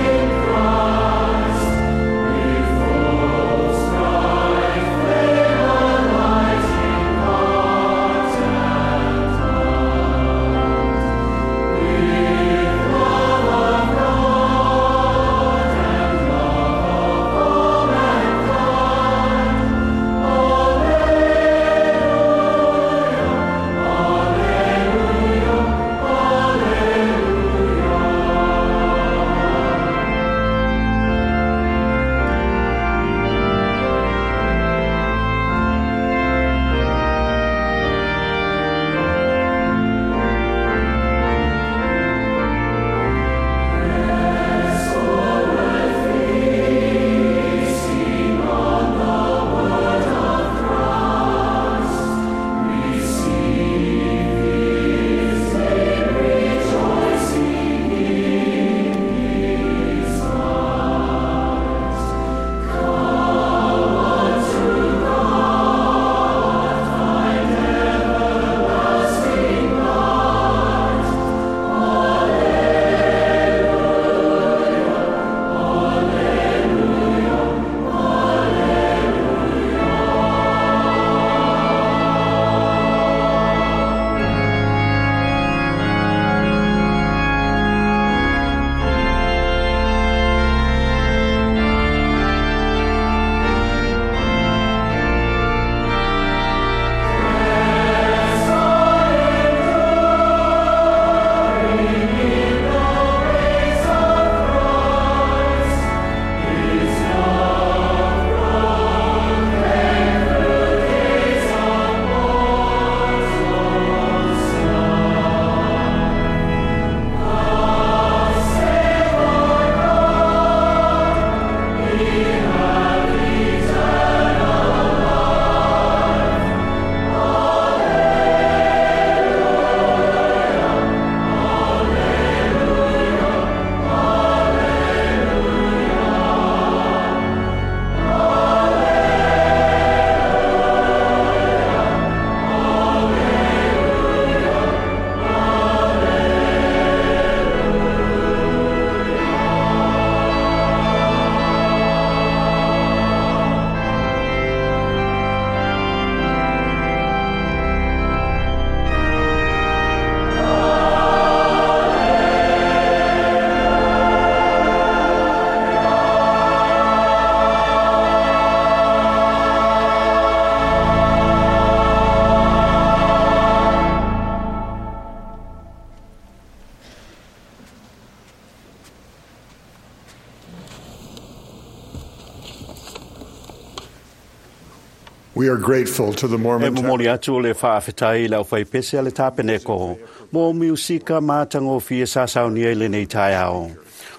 We are grateful to the
E
Mormon
momoli atu le whaafetai lau whai pese a le tāpeneko, mō miusika mātangofie sa saunia i lenei taeao.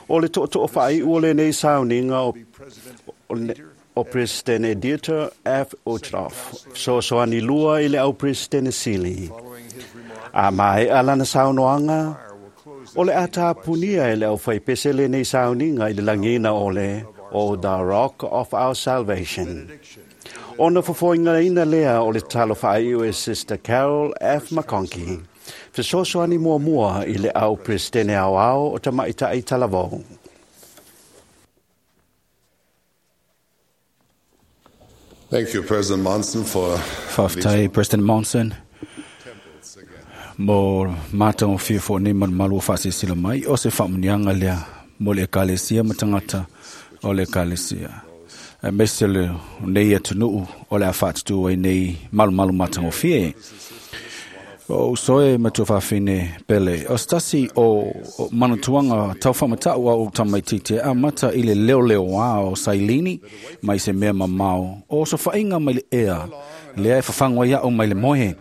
O le to'oto'o whaai ua lenei sauninga o, o, le- o Presidente Dieter F. Uchtdorf, sosoani lua i le au Presidente Sili. A mai alana saunoanga, o le atapunia e le au whaipese lenei sauninga i le langina o le o The Rock of Our Salvation. Ona fofoinga ina lea o le talo whaai e Sister Carol F. McConkie. Fesoasoani muamua i le au Presidente au ao o tamaitai talavou.
Thank you, President Monson, for
Faafetai President Monson mo mātou fia nei malumalu o whaasisila mai o se whaamunianga lea mo le ekalesia ma tangata o le ekalesia. E mese le nei atunuu o le a whaatutu ai nei malumalu matangofie. O soe matua whawhine pele. O stasi o, o manutuanga tau whamatau au tamaitite a mata i le leo leo a o sailini mai se mea mamao. O so whainga mai le ea. Lea e whawhangwa ia o mai le mohe.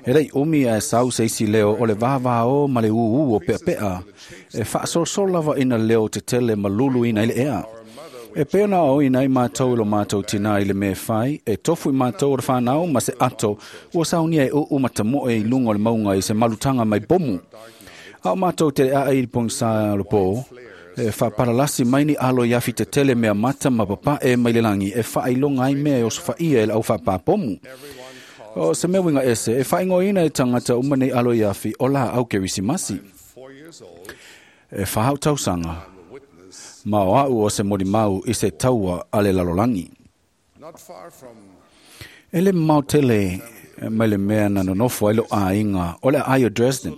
E rei umi a sau se isi leo o le vāvā o ma le uu o pea pea. E whaasolosolo lava ina leo te tele malulu ina i le ea. E pēna o ina i mātou i lo mātou tina i le mea whai, e tofu i mātou o le whanau ma se ato, ua saunia e uu matamoe i lunga o le maunga i se malutanga mai bomu. A o mātou te aa i pongsa lo pō, e whaparalasi mai ni alo i awhi te tele mea mata ma papa e mai le langi, e whailonga ai mea e o sofaia e la au whapapomu. O se mea winga ese, e whaingoina e tangata umane alo i awhi o la au kerisimasi. E whahau tausanga, ma o au o se mori mau i se taua a le lalolangi. E le mau tele mai le mea na nonofo ai lo ainga o le ai o Dresden.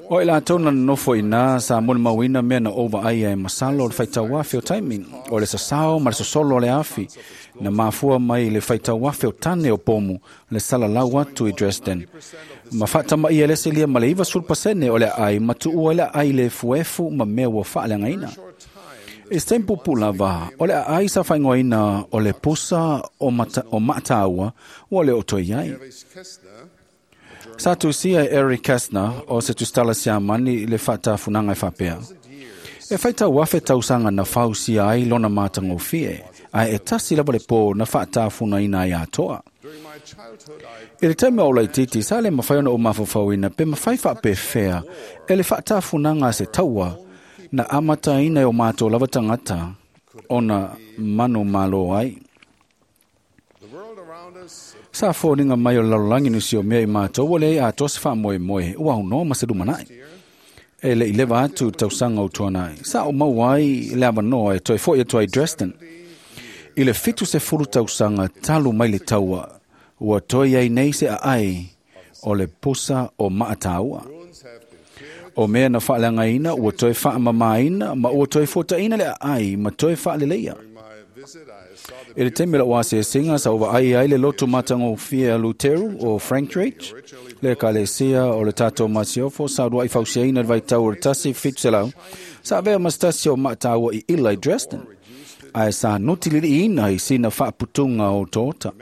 O i la tau na nonofo i nā sa moni mauina mea na ova ai e masalo o le whaitau afi o taiming, o le sasao ma le sosolo o le afi, na mafua mai le whaitau afi o tane o pomu, le salalau atu i Dresden. Ma whaatama ia lese lia ma le iwa sulpasene o le ai, ma tuua le ai le fuefu ma mea ua whaaleangaina. E se pupu lava, o le ai sa whaingoina o le pusa o, mata, o maataua ua le o toi ai. Sa tusia e Eric Kastner o se tustala siamani le whaatafunanga e whapea. E whaitau afe tausanga na whausia ai lona mātangofie, ai e tasi lava le pō na whaatafuna ina ai atoa. I le taimi o laititi, sa le mawhai ona o mawhawhauina, pe mawhai whaapewhea, e le whaatafunanga se taua, na amata ina e o mātou lava tangata, ona manu malo ai. Sa fōninga mai o lalolangi nusi o mea i mātou, o le a tosi wha moe moe, ua huno ma se lumanai. E le i lewa atu tausanga o tuanai. Sa o mau ai le awanoa e toi foi atu ai Dresden. I le fitu se fulu tausanga talu mai le taua, ua toi ai nei se a ai o le pusa o maataua. O mea na whaalangaina, ua toi whaamamaina, ma ua toi fōtaina le a ai, ma toi whaaleleia. E le taimi la ua aseaseaga sa ua ai ai le lotu matagofie Luteru o Frankridge, le ekalesia o le tatou masiofo sa ulua'i fausiaina le vaitau o le tasi fitu selau, sa avea ma se tasi o maataua i ila i Dresden, ae sa nutililiina i sina faaputuga o tota.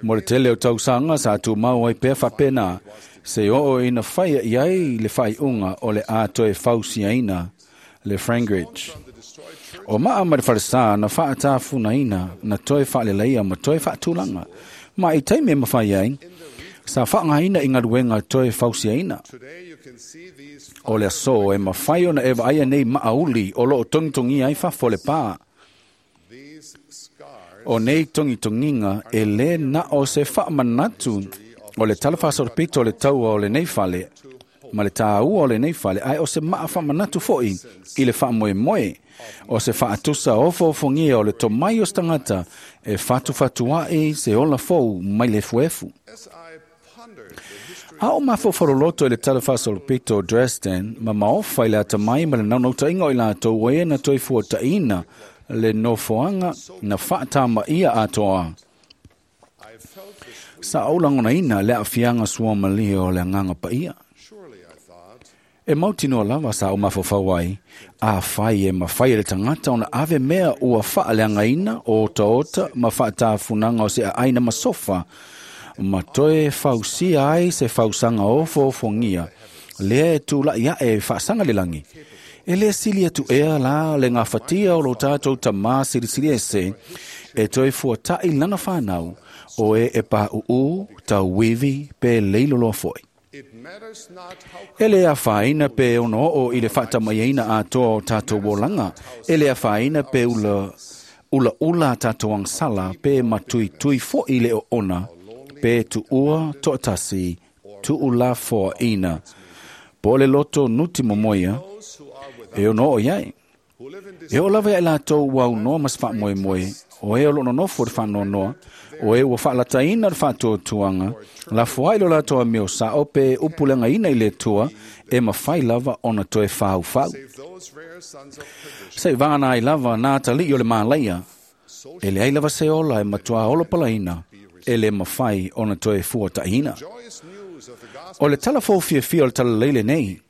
Mo le tele o tausaga sa tumau ai pea faapena, se oo ina faia i ai le faaiuga o le a toe fausiaina le Frankridge. O maa ma le falesa na faatafunaina na toe faaleleia ma toe faatulaga. Ma i taimi e mawhai ai, sa whaangaina i ngaluenga toe fausiaina. O le aso e mawhai ona e vaai nei maauli o loo tongitongia ai fafo le pā. O nei tongitonginga e le na o se whaamanatu o le talawhasorpito o le taua o le nei fale, ma le tāua o le nei fale, ai o se maa whaamanatu foi i le whaamoe moe, o se whaatusa ofoofongia o le tomai o stangata e whatu whatuai se ola fou mai le fuefu. A o mafofo i le talawhasorpito o Dresden, ma maofa i le atamai ma le naunautainga o i latou e na toi fuataina le nofoanga na whaatama ia atoa. Sa au langonaina le afianga sua malia o le anganga paia. E mautinoa lava sa o mafaufau ai, a fai e mawhai e le tangata ona ave mea ua faaleagaina o otaota ma faatafunaga o se aaina ma sofa, ma toe fausia ai se fausaga ofoofogia, lea e tula'i aʻe e faasaga le lagi. E lē sili atu ea la le gafatia o lo tatou tamā silisili ese, e toe fuataʻi lana fanau, o e e paʻuʻū, tauivi pe leiloloa foʻi. E le afaina pe ono oo i le faatamaiaina atoa o tatou olaga, e le afaina pe ula ula ula tatou agasala pe matuitui foʻi le oona, pe tuua toʻatasi tuulafoaʻina. Po le loto nuti momoia, e ono oo iai. E oo lava ia i latou ua aunoa ma se faamoemoe, o e o loo nonofo le faanoanoa, o e ua faalataina le faatuatuaga, lafoai lo latou amio sao pe upulegaina i le Atua, e mafai lava ona toe faufau. Seʻi ai lava na atalii o le malaia, e leai lava se ola e matuā olo palaina, e le mafai ona toe fuataʻiina. O le tala foufiafia o le talalelei lenei,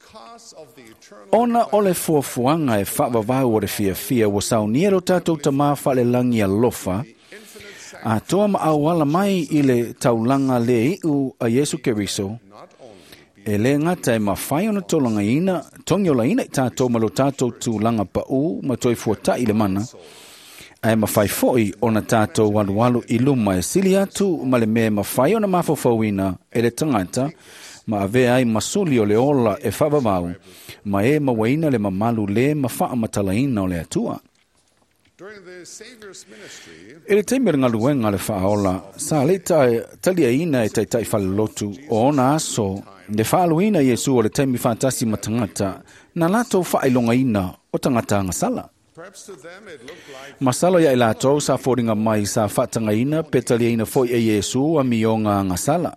ona o le fuafuaga e faavavau o le fiafia ua saunia lo tatou tamā faalelagi alofa, atoa ma auala mai i le taulaga lē iʻu a Iesu Keriso, e lē gata e mafai ona tolagaina togiolaina i tatou ma lo tatou tulaga paʻū ma toe fuataʻi le mana, ae mafai foʻi ona tatou alualu i luma e sili atu ma le mea e mafai ona mafaufauina e le tagata, ma avea ai masuli o le ola e faavavau, ma e mauaina le mamalu lē ma faamatalaina o le Atua. E le taimi o le galuega le faaola, sa leʻi taliaina e taitaʻi falelotu o ona aso le faaluina Iesu o le taimi faatasi ma tagata, na latou faailogaina o tagata agasala. Masalo ia i latou sa foliga mai sa faatagaina pe taliaina foʻi e Iesu amioga agasala.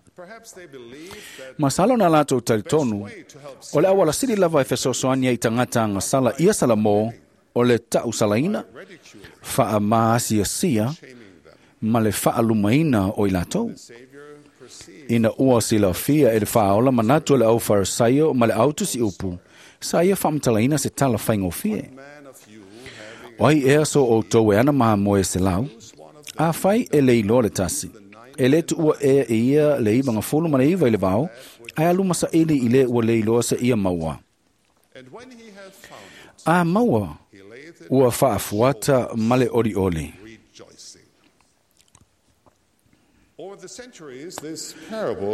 Masalo na latou talitonu, o le auala sili lava e fesoasoani ai tagata agasala ia Salamō, o le taʻusalaina, faamaasiasia ma le faalumaina o i latou. Ina ua silafia e le faaola manatu o le aufarisaio ma le autusiupu, sa ia faamatalaina se tala faigofie. O ai ea so outou e ana mamoe se lau, afai e le iloa le tasi, e lē tuua ea e ia le iva gafulu ma le iva i le vao, ae aluma saʻili i lē ua le iloa se ia maua. A maua, ua faafuata ma le olioli.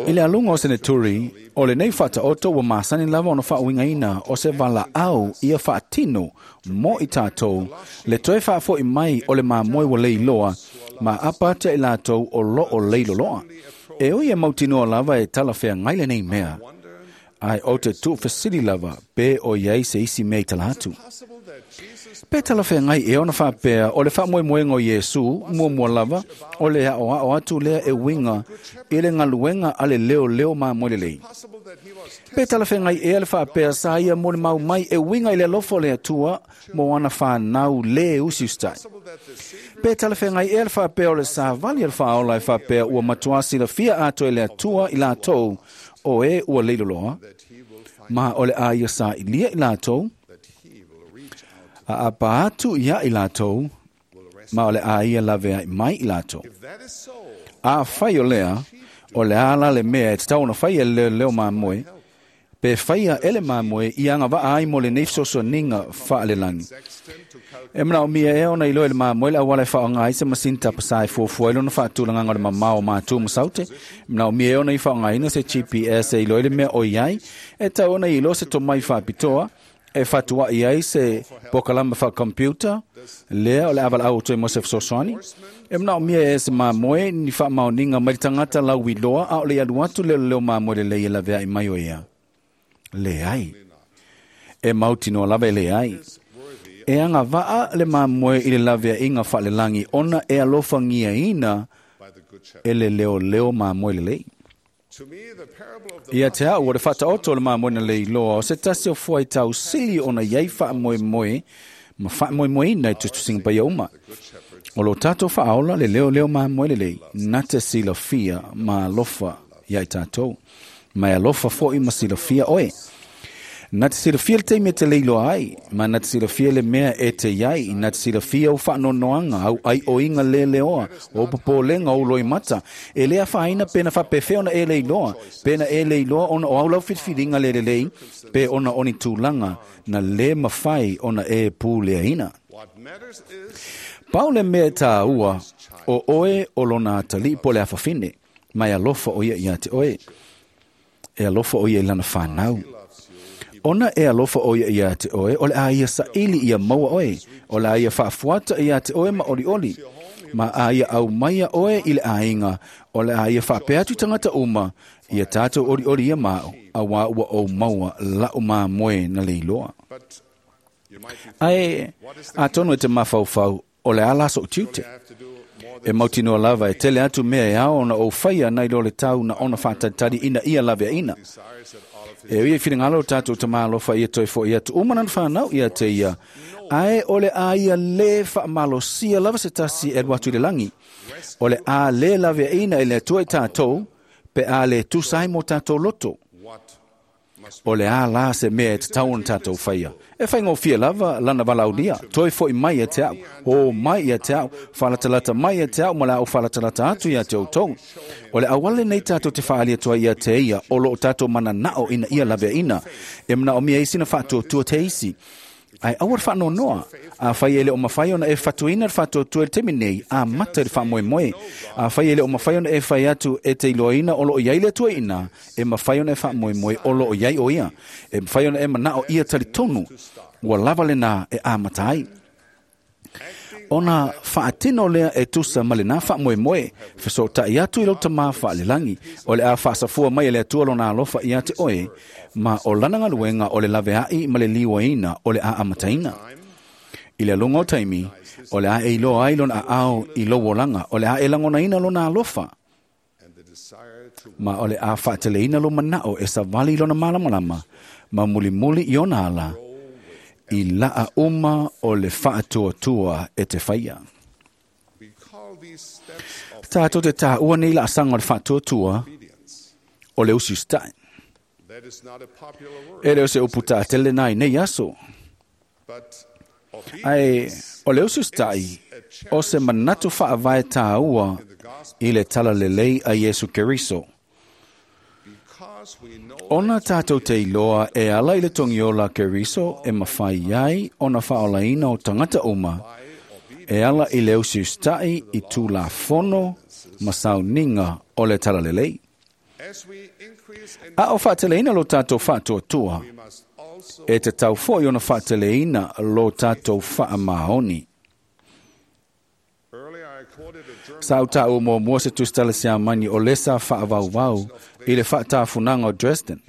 I le aluga o seneturi, o lenei faataoto ua masani lava ona faauigaina o se valaau ia faatino mo i tatou, le toe faafoʻi mai o le mamoe ua leiloa, ma apa atu i latou o loo leiloloa. E ui e mautinoa lava e talafeagai lenei mea, ae o te tuufesili lava pe o iai se isi mea i tala atu. Pe talafeagai e ona faapea o le faamoemoega o Iesu muamua lava o le aʻoaʻo atu lea e uiga i le galuega a le leoleo mamoe lelei. Pe talafeagai ea le faapea sa ia mo le mau mai e uiga i le alofa o le Atua mo ana fanau lē usiusitai. Pe talafeagai ea le faapea o le savali a le faaola e faapea ua matuā silafia atoa e le Atua i latou o e ua leiloloa, ma o le a ia saʻilia i latou, a apa atu ia i latou, ma o le a ia laveai mai i latou. A fai o lea, o le ala le mea e tatau ona faia e le leoleo mamoe, pe faia e le mamoe i agavaa ai mo lenei fesoasoaniga faalelagi. E manaomia ea ona iloa e le mamoe le auala e faaaoga ai se masini tapasā e fuafua ai lona faatulagaga o le mamao o mātu ma saute. E manaomia ea ona i faaaogaina se G P S e iloa i le mea o i ai, e tau ona iloa se tomai faapitoa, e fatuaʻi ai se pokalama faakompiuta, lea o le avalaau o toe mo se fesoasoani. E manaomia e se mamoe ni faamaoniga mai le tagata lauiloa a o le alu atu leoleo mamoe lelei e laveaʻi mai o ia. Leai. E mautinoa lava e leai. E agavaa le mamoe i le laveaʻiga faalelagi ona e alofagiaina e le leoleo mamoe lelei. Ia te au o le faataoto o le mamoe na leiloa o se tasi o fuaitau sili ona iai faamoemoe ma faamoemoeina i tusitusiga paia uma. O lo tatou faaola le leoleo mamoe lelei, na te silafia ma alofa ia i tatou. Ma e alofa foʻi ma silafia oe. Na te silafia le taimi e te leiloa ai, ma na te silafia le mea e te iai, na te silafia au whaanonoanga, au ai o inga leleoa, o popolenga o loimata. E lea whaina pena whapewhea ona e leiloa, pena e leiloa ona o au lau whitwhiringa lelelei, pe ona oni tūlanga, na le mawhai ona e pūleaina. Pau le mea tā ua, o oe o lona atali po le awhawhine, mai alofa o ia ia te oe. E alofa o ia i lana whanau. Ona e alofa o ia ia te oe, o le a ia saili ia maua oe, o le a ia whaafuata ia te oe ma oli oli, ma a ia au maia oe i le ainga, o le a ia whaapeatu tangata uma, ia tātou oli oli ia mao, a wā ua o maua lau mā moe na leiloa. Ae, a tono e te mawhauwhau, o le ala so tiute. E mautinoa lava e tele atu mea e ao ona o whaia nei lo le tau na ona whātatari ina ia lave ina. E ui e whiringalo tātou te mālofa ia toi fo ia tu umanan whanau ia te ia. Ae o le a ia le whaamalosia lava se tasi e watu le langi. O le a le lave ina e le atua i tātou, pe a le tusai mo tātou loto. O le a la se mea e te tau ona tātou whaia. E whaingofia lava, lana walaulia, toi foi mai e te au, o mai e te au, whalatalata mai e te au, ma la au whalatalata atu ia te outou. O le awale nei tātou te whaalia tua ia te ia, o lo o tātou mana nao ina ia lavea ina. E mana o mea isi na whaatuatua te isi. Ai awar whaano noa, a whai ele o mawhai ona e whatuina whatuatua le temi nei, a mata le whamoe moe. A whai ele o mawhai ona e whai atu e te iloaina o lo o iai le atua ina, e mawhai ona e whamoe moe o lo o iai o ia. E mawhai ona e manao ia tali tonu, ua lava le nā e a matai. Ona whaatino lea e tusa ma le nā whamoe moe, wheso tai atu i lauta mā whaalelangi, o le a whaasafua mai e le atua lona alofa ia te oe, ma o lana ngaluenga o le laveai ma le liwaina o le a amataina. I le alunga o taimi, o le a e iloa ai lona ao i lowolanga, o le a e langonaina lona alofa, ma o le a whaateleina lo manao e savali lona malamalama, ma mulimuli i ona ala, i laa uma o le whaatuatua e te whaia. Tātou te tā ua nei la asanga o le whaatuatua o le usi ustai. E leo se upu tā tele nai nei aso. Ai, o le usi ustai, o se manatu whaavae tā ua i le tala lelei a Yesu Keriso. Ona tātou te iloa e ala i le tongiola Keriso e mawhai ai ona whaolaina o tangata uma, e ala i le usi ustai i tūla fono masauninga o le talalelei. A o whaateleina lo tātou whaatuatua, e te tau foi ona whaateleina lo tātou whaamaoni. Sa au mua mua se tustala siamani o lesa whaavauvau i le whaatafunanga o Dresden.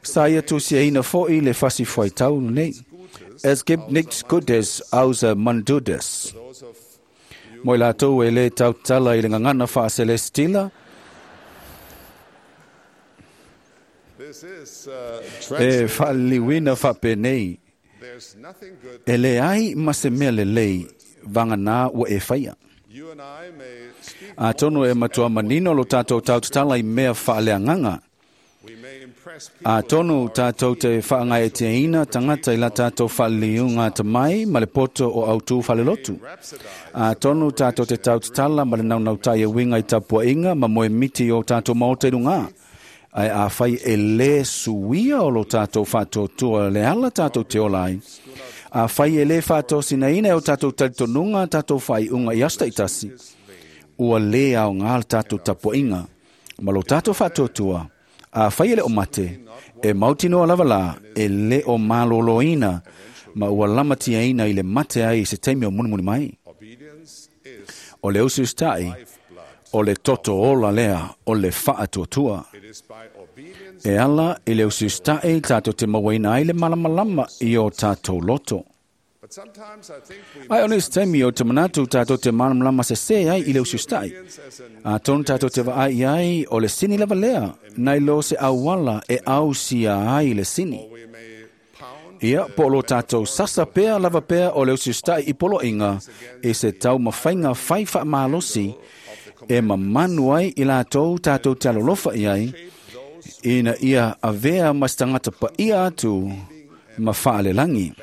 Sa ia tusiaina foi le fasi fuaitau nei. Es gibt nichts Gutes außer man tut es. Moi lātou e le tautala i le ngangana whaaselestila. E whaaliwina whapenei. E le ai ma se mea lelei vanga nā ua e whaia. A tono e matua manino lo tātou tautatala i mea whaaleanganga. A tono tātou te whaangai e te ina tangata i la tātou whaaliunga tamai ma le poto o autu whalelotu. A tono tātou te tautatala ma le naunautai e winga i tapua inga ma moe miti o tātou maota i runga. Ai a whai e le suia o lo tātou whaatotua le ala tātou te olai. A whai e le whaatosina ina e o tātou talitonunga tātou whai unga i asta i tasi. Ua le au ngā tātou tapuainga. Ma lo tātou whaatotua, a whai e le o mate, e mautinoa lava la, e le o maloloina, ma ua lamatia ina i le mate ai se taimi o munimuni mai. O le usi ustai, o le toto ola lea, o le whaatuatua. E ala i le usi ustai tātou te mawaina ai le malamalama i o tātou loto. Ai o nisi taimi o te manatu tātou te malamalama se se ai i le usi ustai. A tonu tātou te vaai ai o le sini lava lea, nei lo se awala e ausia ai le sini. Ia, po lo tātou sasa pea lava pea o le usi ustai i polo inga, e se tau mawhainga whai whaamalosi, e mamanu ai i lātou tātou te alolofa i ai, Ina ia avea ma se tagata paia atu ma faalelagi.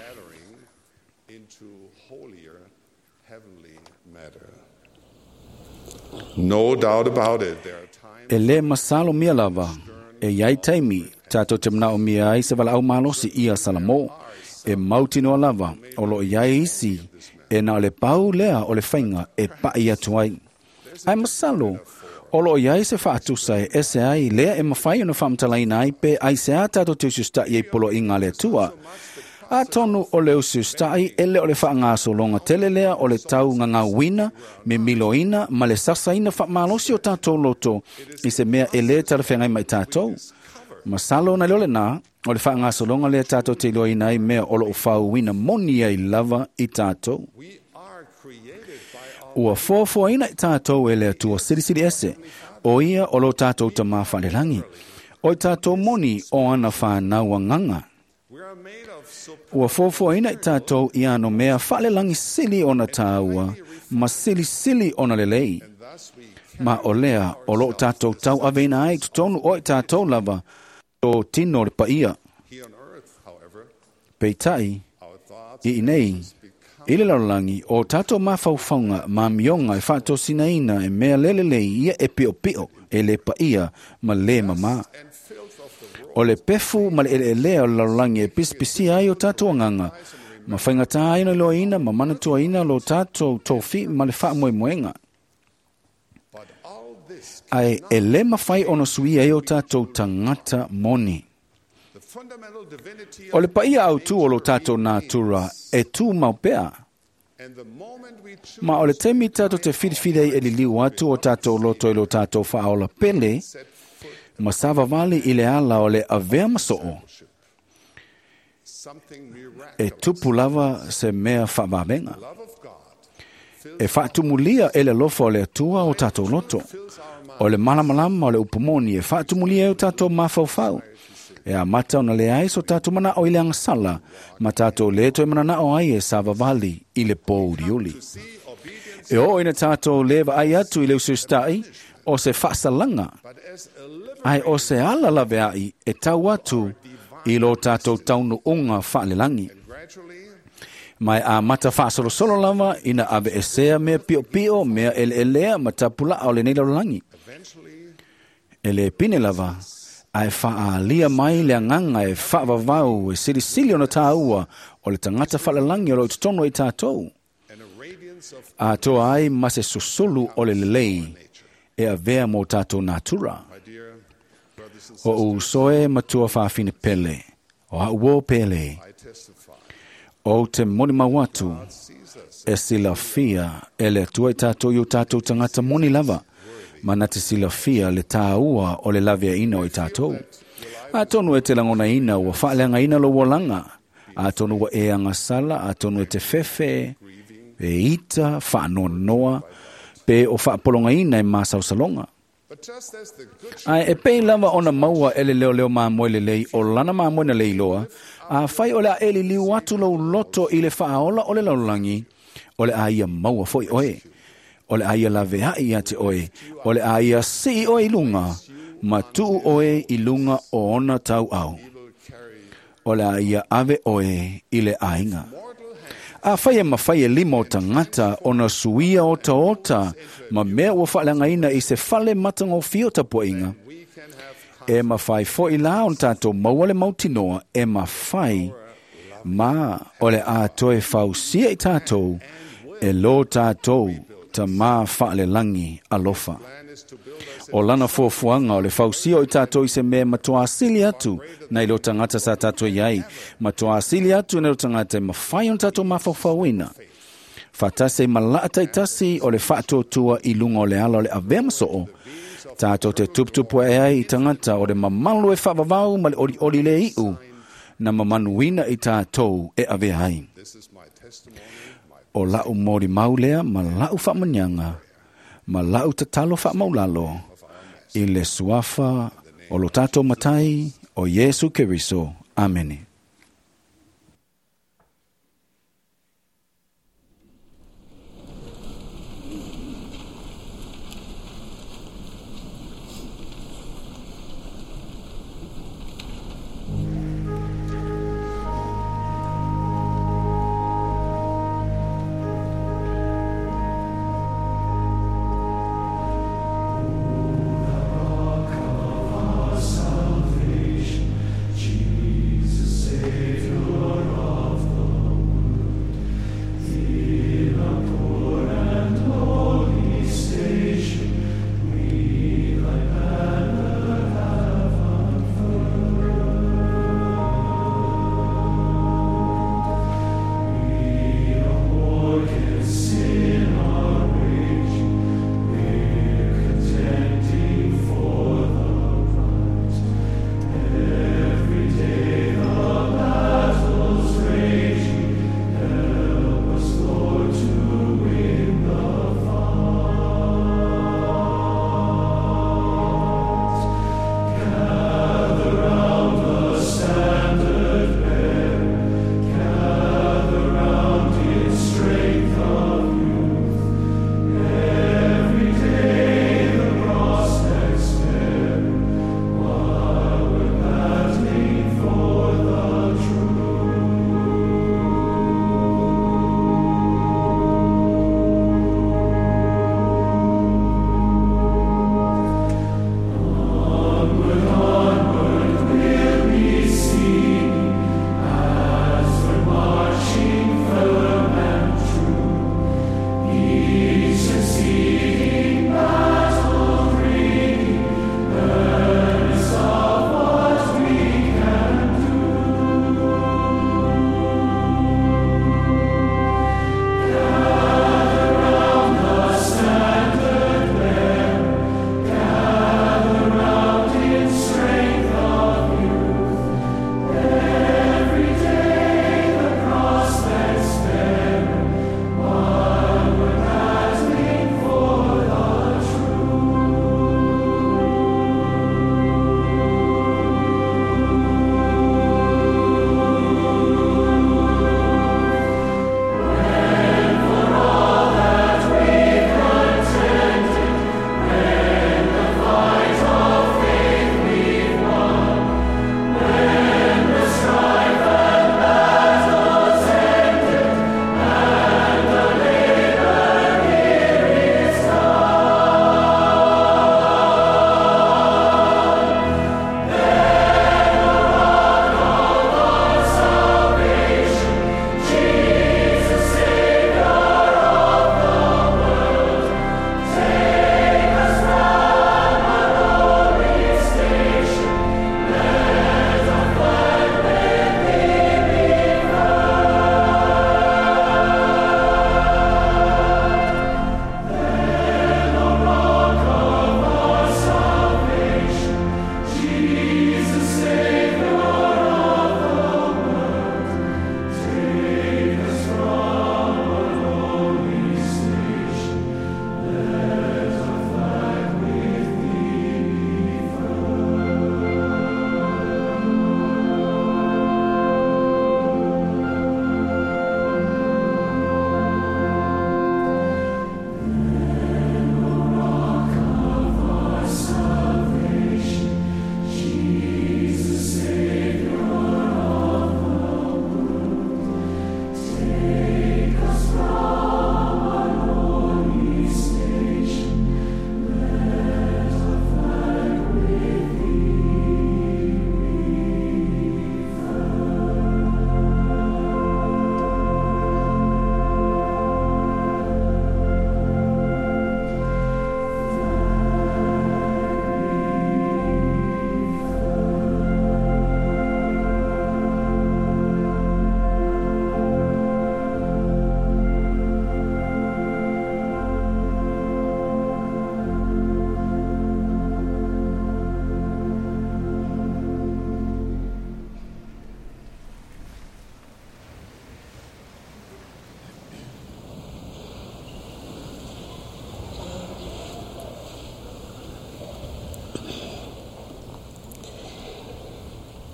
No doubt about it, there are times
E lē masalo mia lava, e iai taimi, tātou te manao mia ai se valaau malosi ia Salamo, e mautinoa lava, o loo iai isi, e na o le pau lea o le faiga e pa'i atu ai. Ae masalo, o loo iai se faatusa e ese ai lea e mafai ona faamatalaina ai pe aiseā tatou te usiusita'i ai poloaiga a le Atua. Atonu o le usiusita'i e le o le faagasologa tele lea o le taugagauina, memiloina ma le sasaina faamalosi o tatou loto i se mea e lē talafeagai ma i tatou. Masalo na le o lenā, o le faagasologa lea tatou te iloaina ai mea o loo fauina moni ai lava i tatou. Ua foafoaina i tatou e le Atua Silisili Ese, o ia o lo tatou tamā faalelagi, o i tatou moni o ana whanau agaga. Ua foafoaina i tatou i ano mea faalelagi sili ona tāua, ma silisili ona lelei. Ma o lea o loo tatou tau aveina ai totonu o i tatou lava, o tino le paia. Peitai, i inei, i le lalolagi, o tatou mafaufauga ma amioga e faatosinaina e mea lelelei ia e piopio e le paia ma lē mamā. O le pefu ma le eleelea o le lalolagi e pisipisia ai o tatou agaga, ma faigatā ai ona iloaina ma manatuaina lo tatou tofi ma le faamoemoega. Ae e lē mafai ona suia ai o tatou tagata moni. O le paia autū o lo tatou natura e tū mau pea. Ma o le taimi tatou te filifili ai e liliu atu o tatou loto i lo tatou faaola pele, ma savavali i le ala o le avea ma soo, e tupu lava se mea faavavega. E faatumulia e le alofa o le Atua o tatou loto. O le malamalama o le upumoni e faatumulia e o tatou mafaufau. E amata ona leai so tatou manao i le agasala, ma tatou lē toe mananao ai e savavali i le pōuliuli. E oo ina tatou lē vaai atu i le usiusita'i, o se faasalaga, ae o se ala laveai e tau atu i lo tatou taunuuga faalelagi. Ma e amata faasolosolo lava ina aveesea mea piopio, mea eleelea ma tapulaa o lenei lalolagi. E lē pine lava, ae faaalia mai le agaga e faavavau e silisili ona tāua o le tagata faalalagi o loo i totonu ai tatou. Atoa ai ma se susulu o le lelei e avea mo tatou natura. O usoe matua faafine pele, o auō pele, o te moni mau atu, e silafia e le Atua i tatou i o tatou tagata moni lava, ma na te silafia le tāua o le laveaina o i tatou. Atonu e te lagonaina ua faaleagaina lou olaga, atonu ua e agasala, atonu e te fefe, e ita, faanoanoa, pe o faapologaina e masaosaloga. Ae e pei lava ona maua e le leoleo mamoe lelei o lana mamoe na leiloa, afai o le a e liliu atu lou loto i le faaola o le lalolagi, o le a ia maua foi oe. O le a ia laveai ia te oe, o le a ia sii oe i luga, ma tuu oe i luga o ona tauau. O le a ia ave oe i le aiga. Afai e mafai e lima o tagata ona suia otaota ma mea ua faaleagaina i se fale matagofie o tapuaiga, e mafai foi la ona tatou maua le mautinoa e mafai ma o le a toe fausia i tatou e lo tatou tamā faalelagi alofa. O lana fuafuaga o le fausia o i tatou i se mea matuā sili atu nai lo tagata sa tatou iai, matuā sili atu nai lo tagata e mafai ona tatou mafaufauina. Faatasi ai ma laa taitasi o le faatuatua i luga o le ala o le avea ma soo, tatou te tuputupu ae ai i tagata o le mamalu e faavavau ma le olioli le iu, na mamanuina i tatou e avea ai. O lau molimau lea ma lau faamaniaga, ma lau tatalo faamaulalo, i le suafa o lo tatou Matai o Iesu Keriso. Amene.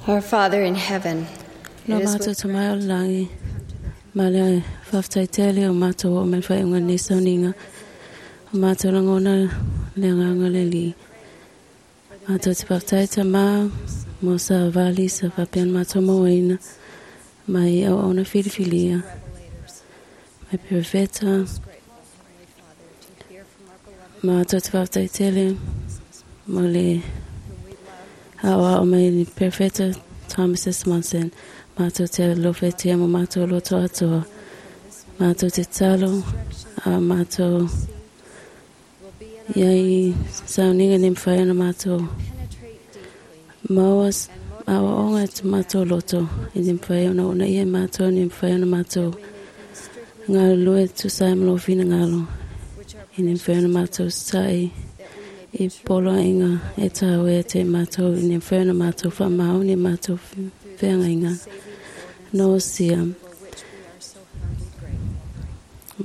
Our Father in heaven,
Lo
it is
mātou
with
te mai o le langi, ma le whawhtai tele o mātou o me whai unga nei sauninga, o mātou langona le nganga le li. Mātou te whawhtai ta mā, mo sa vali sa whapian mātou moina, mai au auna whiriwhilia, mai perveta, mātou te whawhtai tele, mo le au au mai perfeta Thomas Swanson, mātou te lofetia mo mātou loto atoa, mātou te talo, a mātou iai sauninga ni mwhai ana mātou maua awa onga te mātou loto, i ni mwhai ana ona ia mātou, ni mwhai ana mātou ngā lue tusai mlo whina ngalo, i ni mwhai ana mātou sai i polo inga e tāu e te mātou, i ni mwhai ana mātou whamau, ni mātou whenga inga. No sia.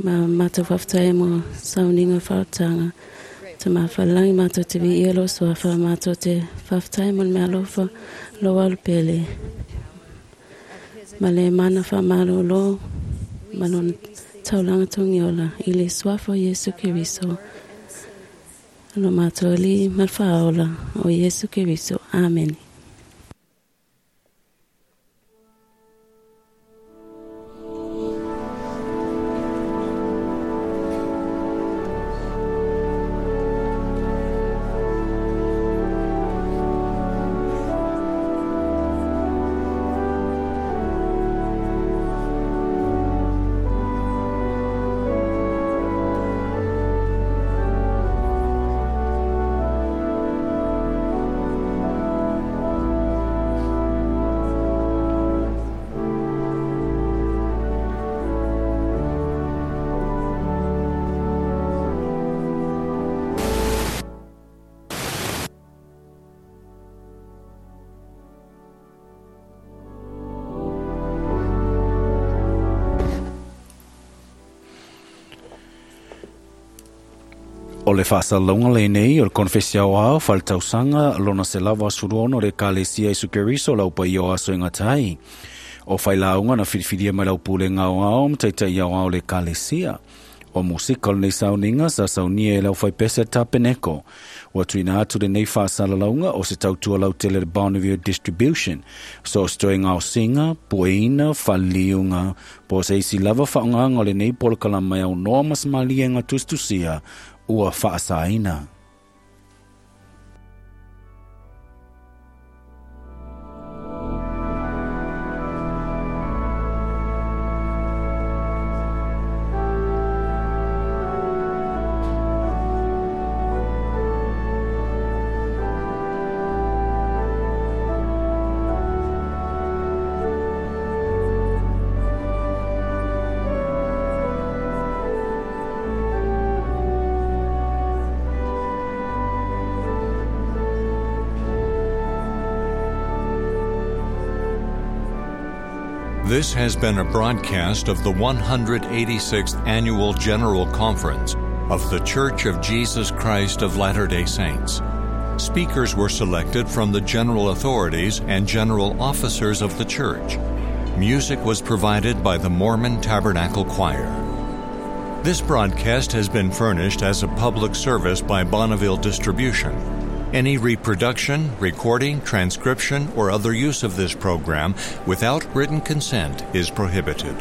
Ma mātou whaftai mo sauninga whautanga. Te mā whalangi mātou te vi ielo soa wha mātou te whaftai mo mea lofa lo walu pele. Ma le mana wha malo lo malona taulanga tongiola i le suafa o Iesu Keriso. Lo mātou li malwhaola o Iesu Keriso. Amen.
O le whaasalonga le nei o le konfesia o ao whaletausanga lona se lava suruono le kalesia Isu Keriso lau pa o aso inga tai. O whailaunga na whiriwhiria mai lau pule ngao ao mtaitai au ao le kalesia. O musika o nei sauninga sa saunia e lau whaipese tapeneko. Ua tuina atu le nei whaasalalaunga o se tautua lau tele Bonneville Distribution. So stoe ngao singa, pueina, whaliunga, po se isi lava whaonganga o le nei polokala mai au noa masmalia ngā tustusia ua whaasaina.
This has been a broadcast of the one hundred eighty-sixth Annual General Conference of The Church of Jesus Christ of Latter-day Saints. Speakers were selected from the general authorities and general officers of the church. Music was provided by the Mormon Tabernacle Choir. This broadcast has been furnished as a public service by Bonneville Distribution. Any reproduction, recording, transcription, or other use of this program without written consent is prohibited.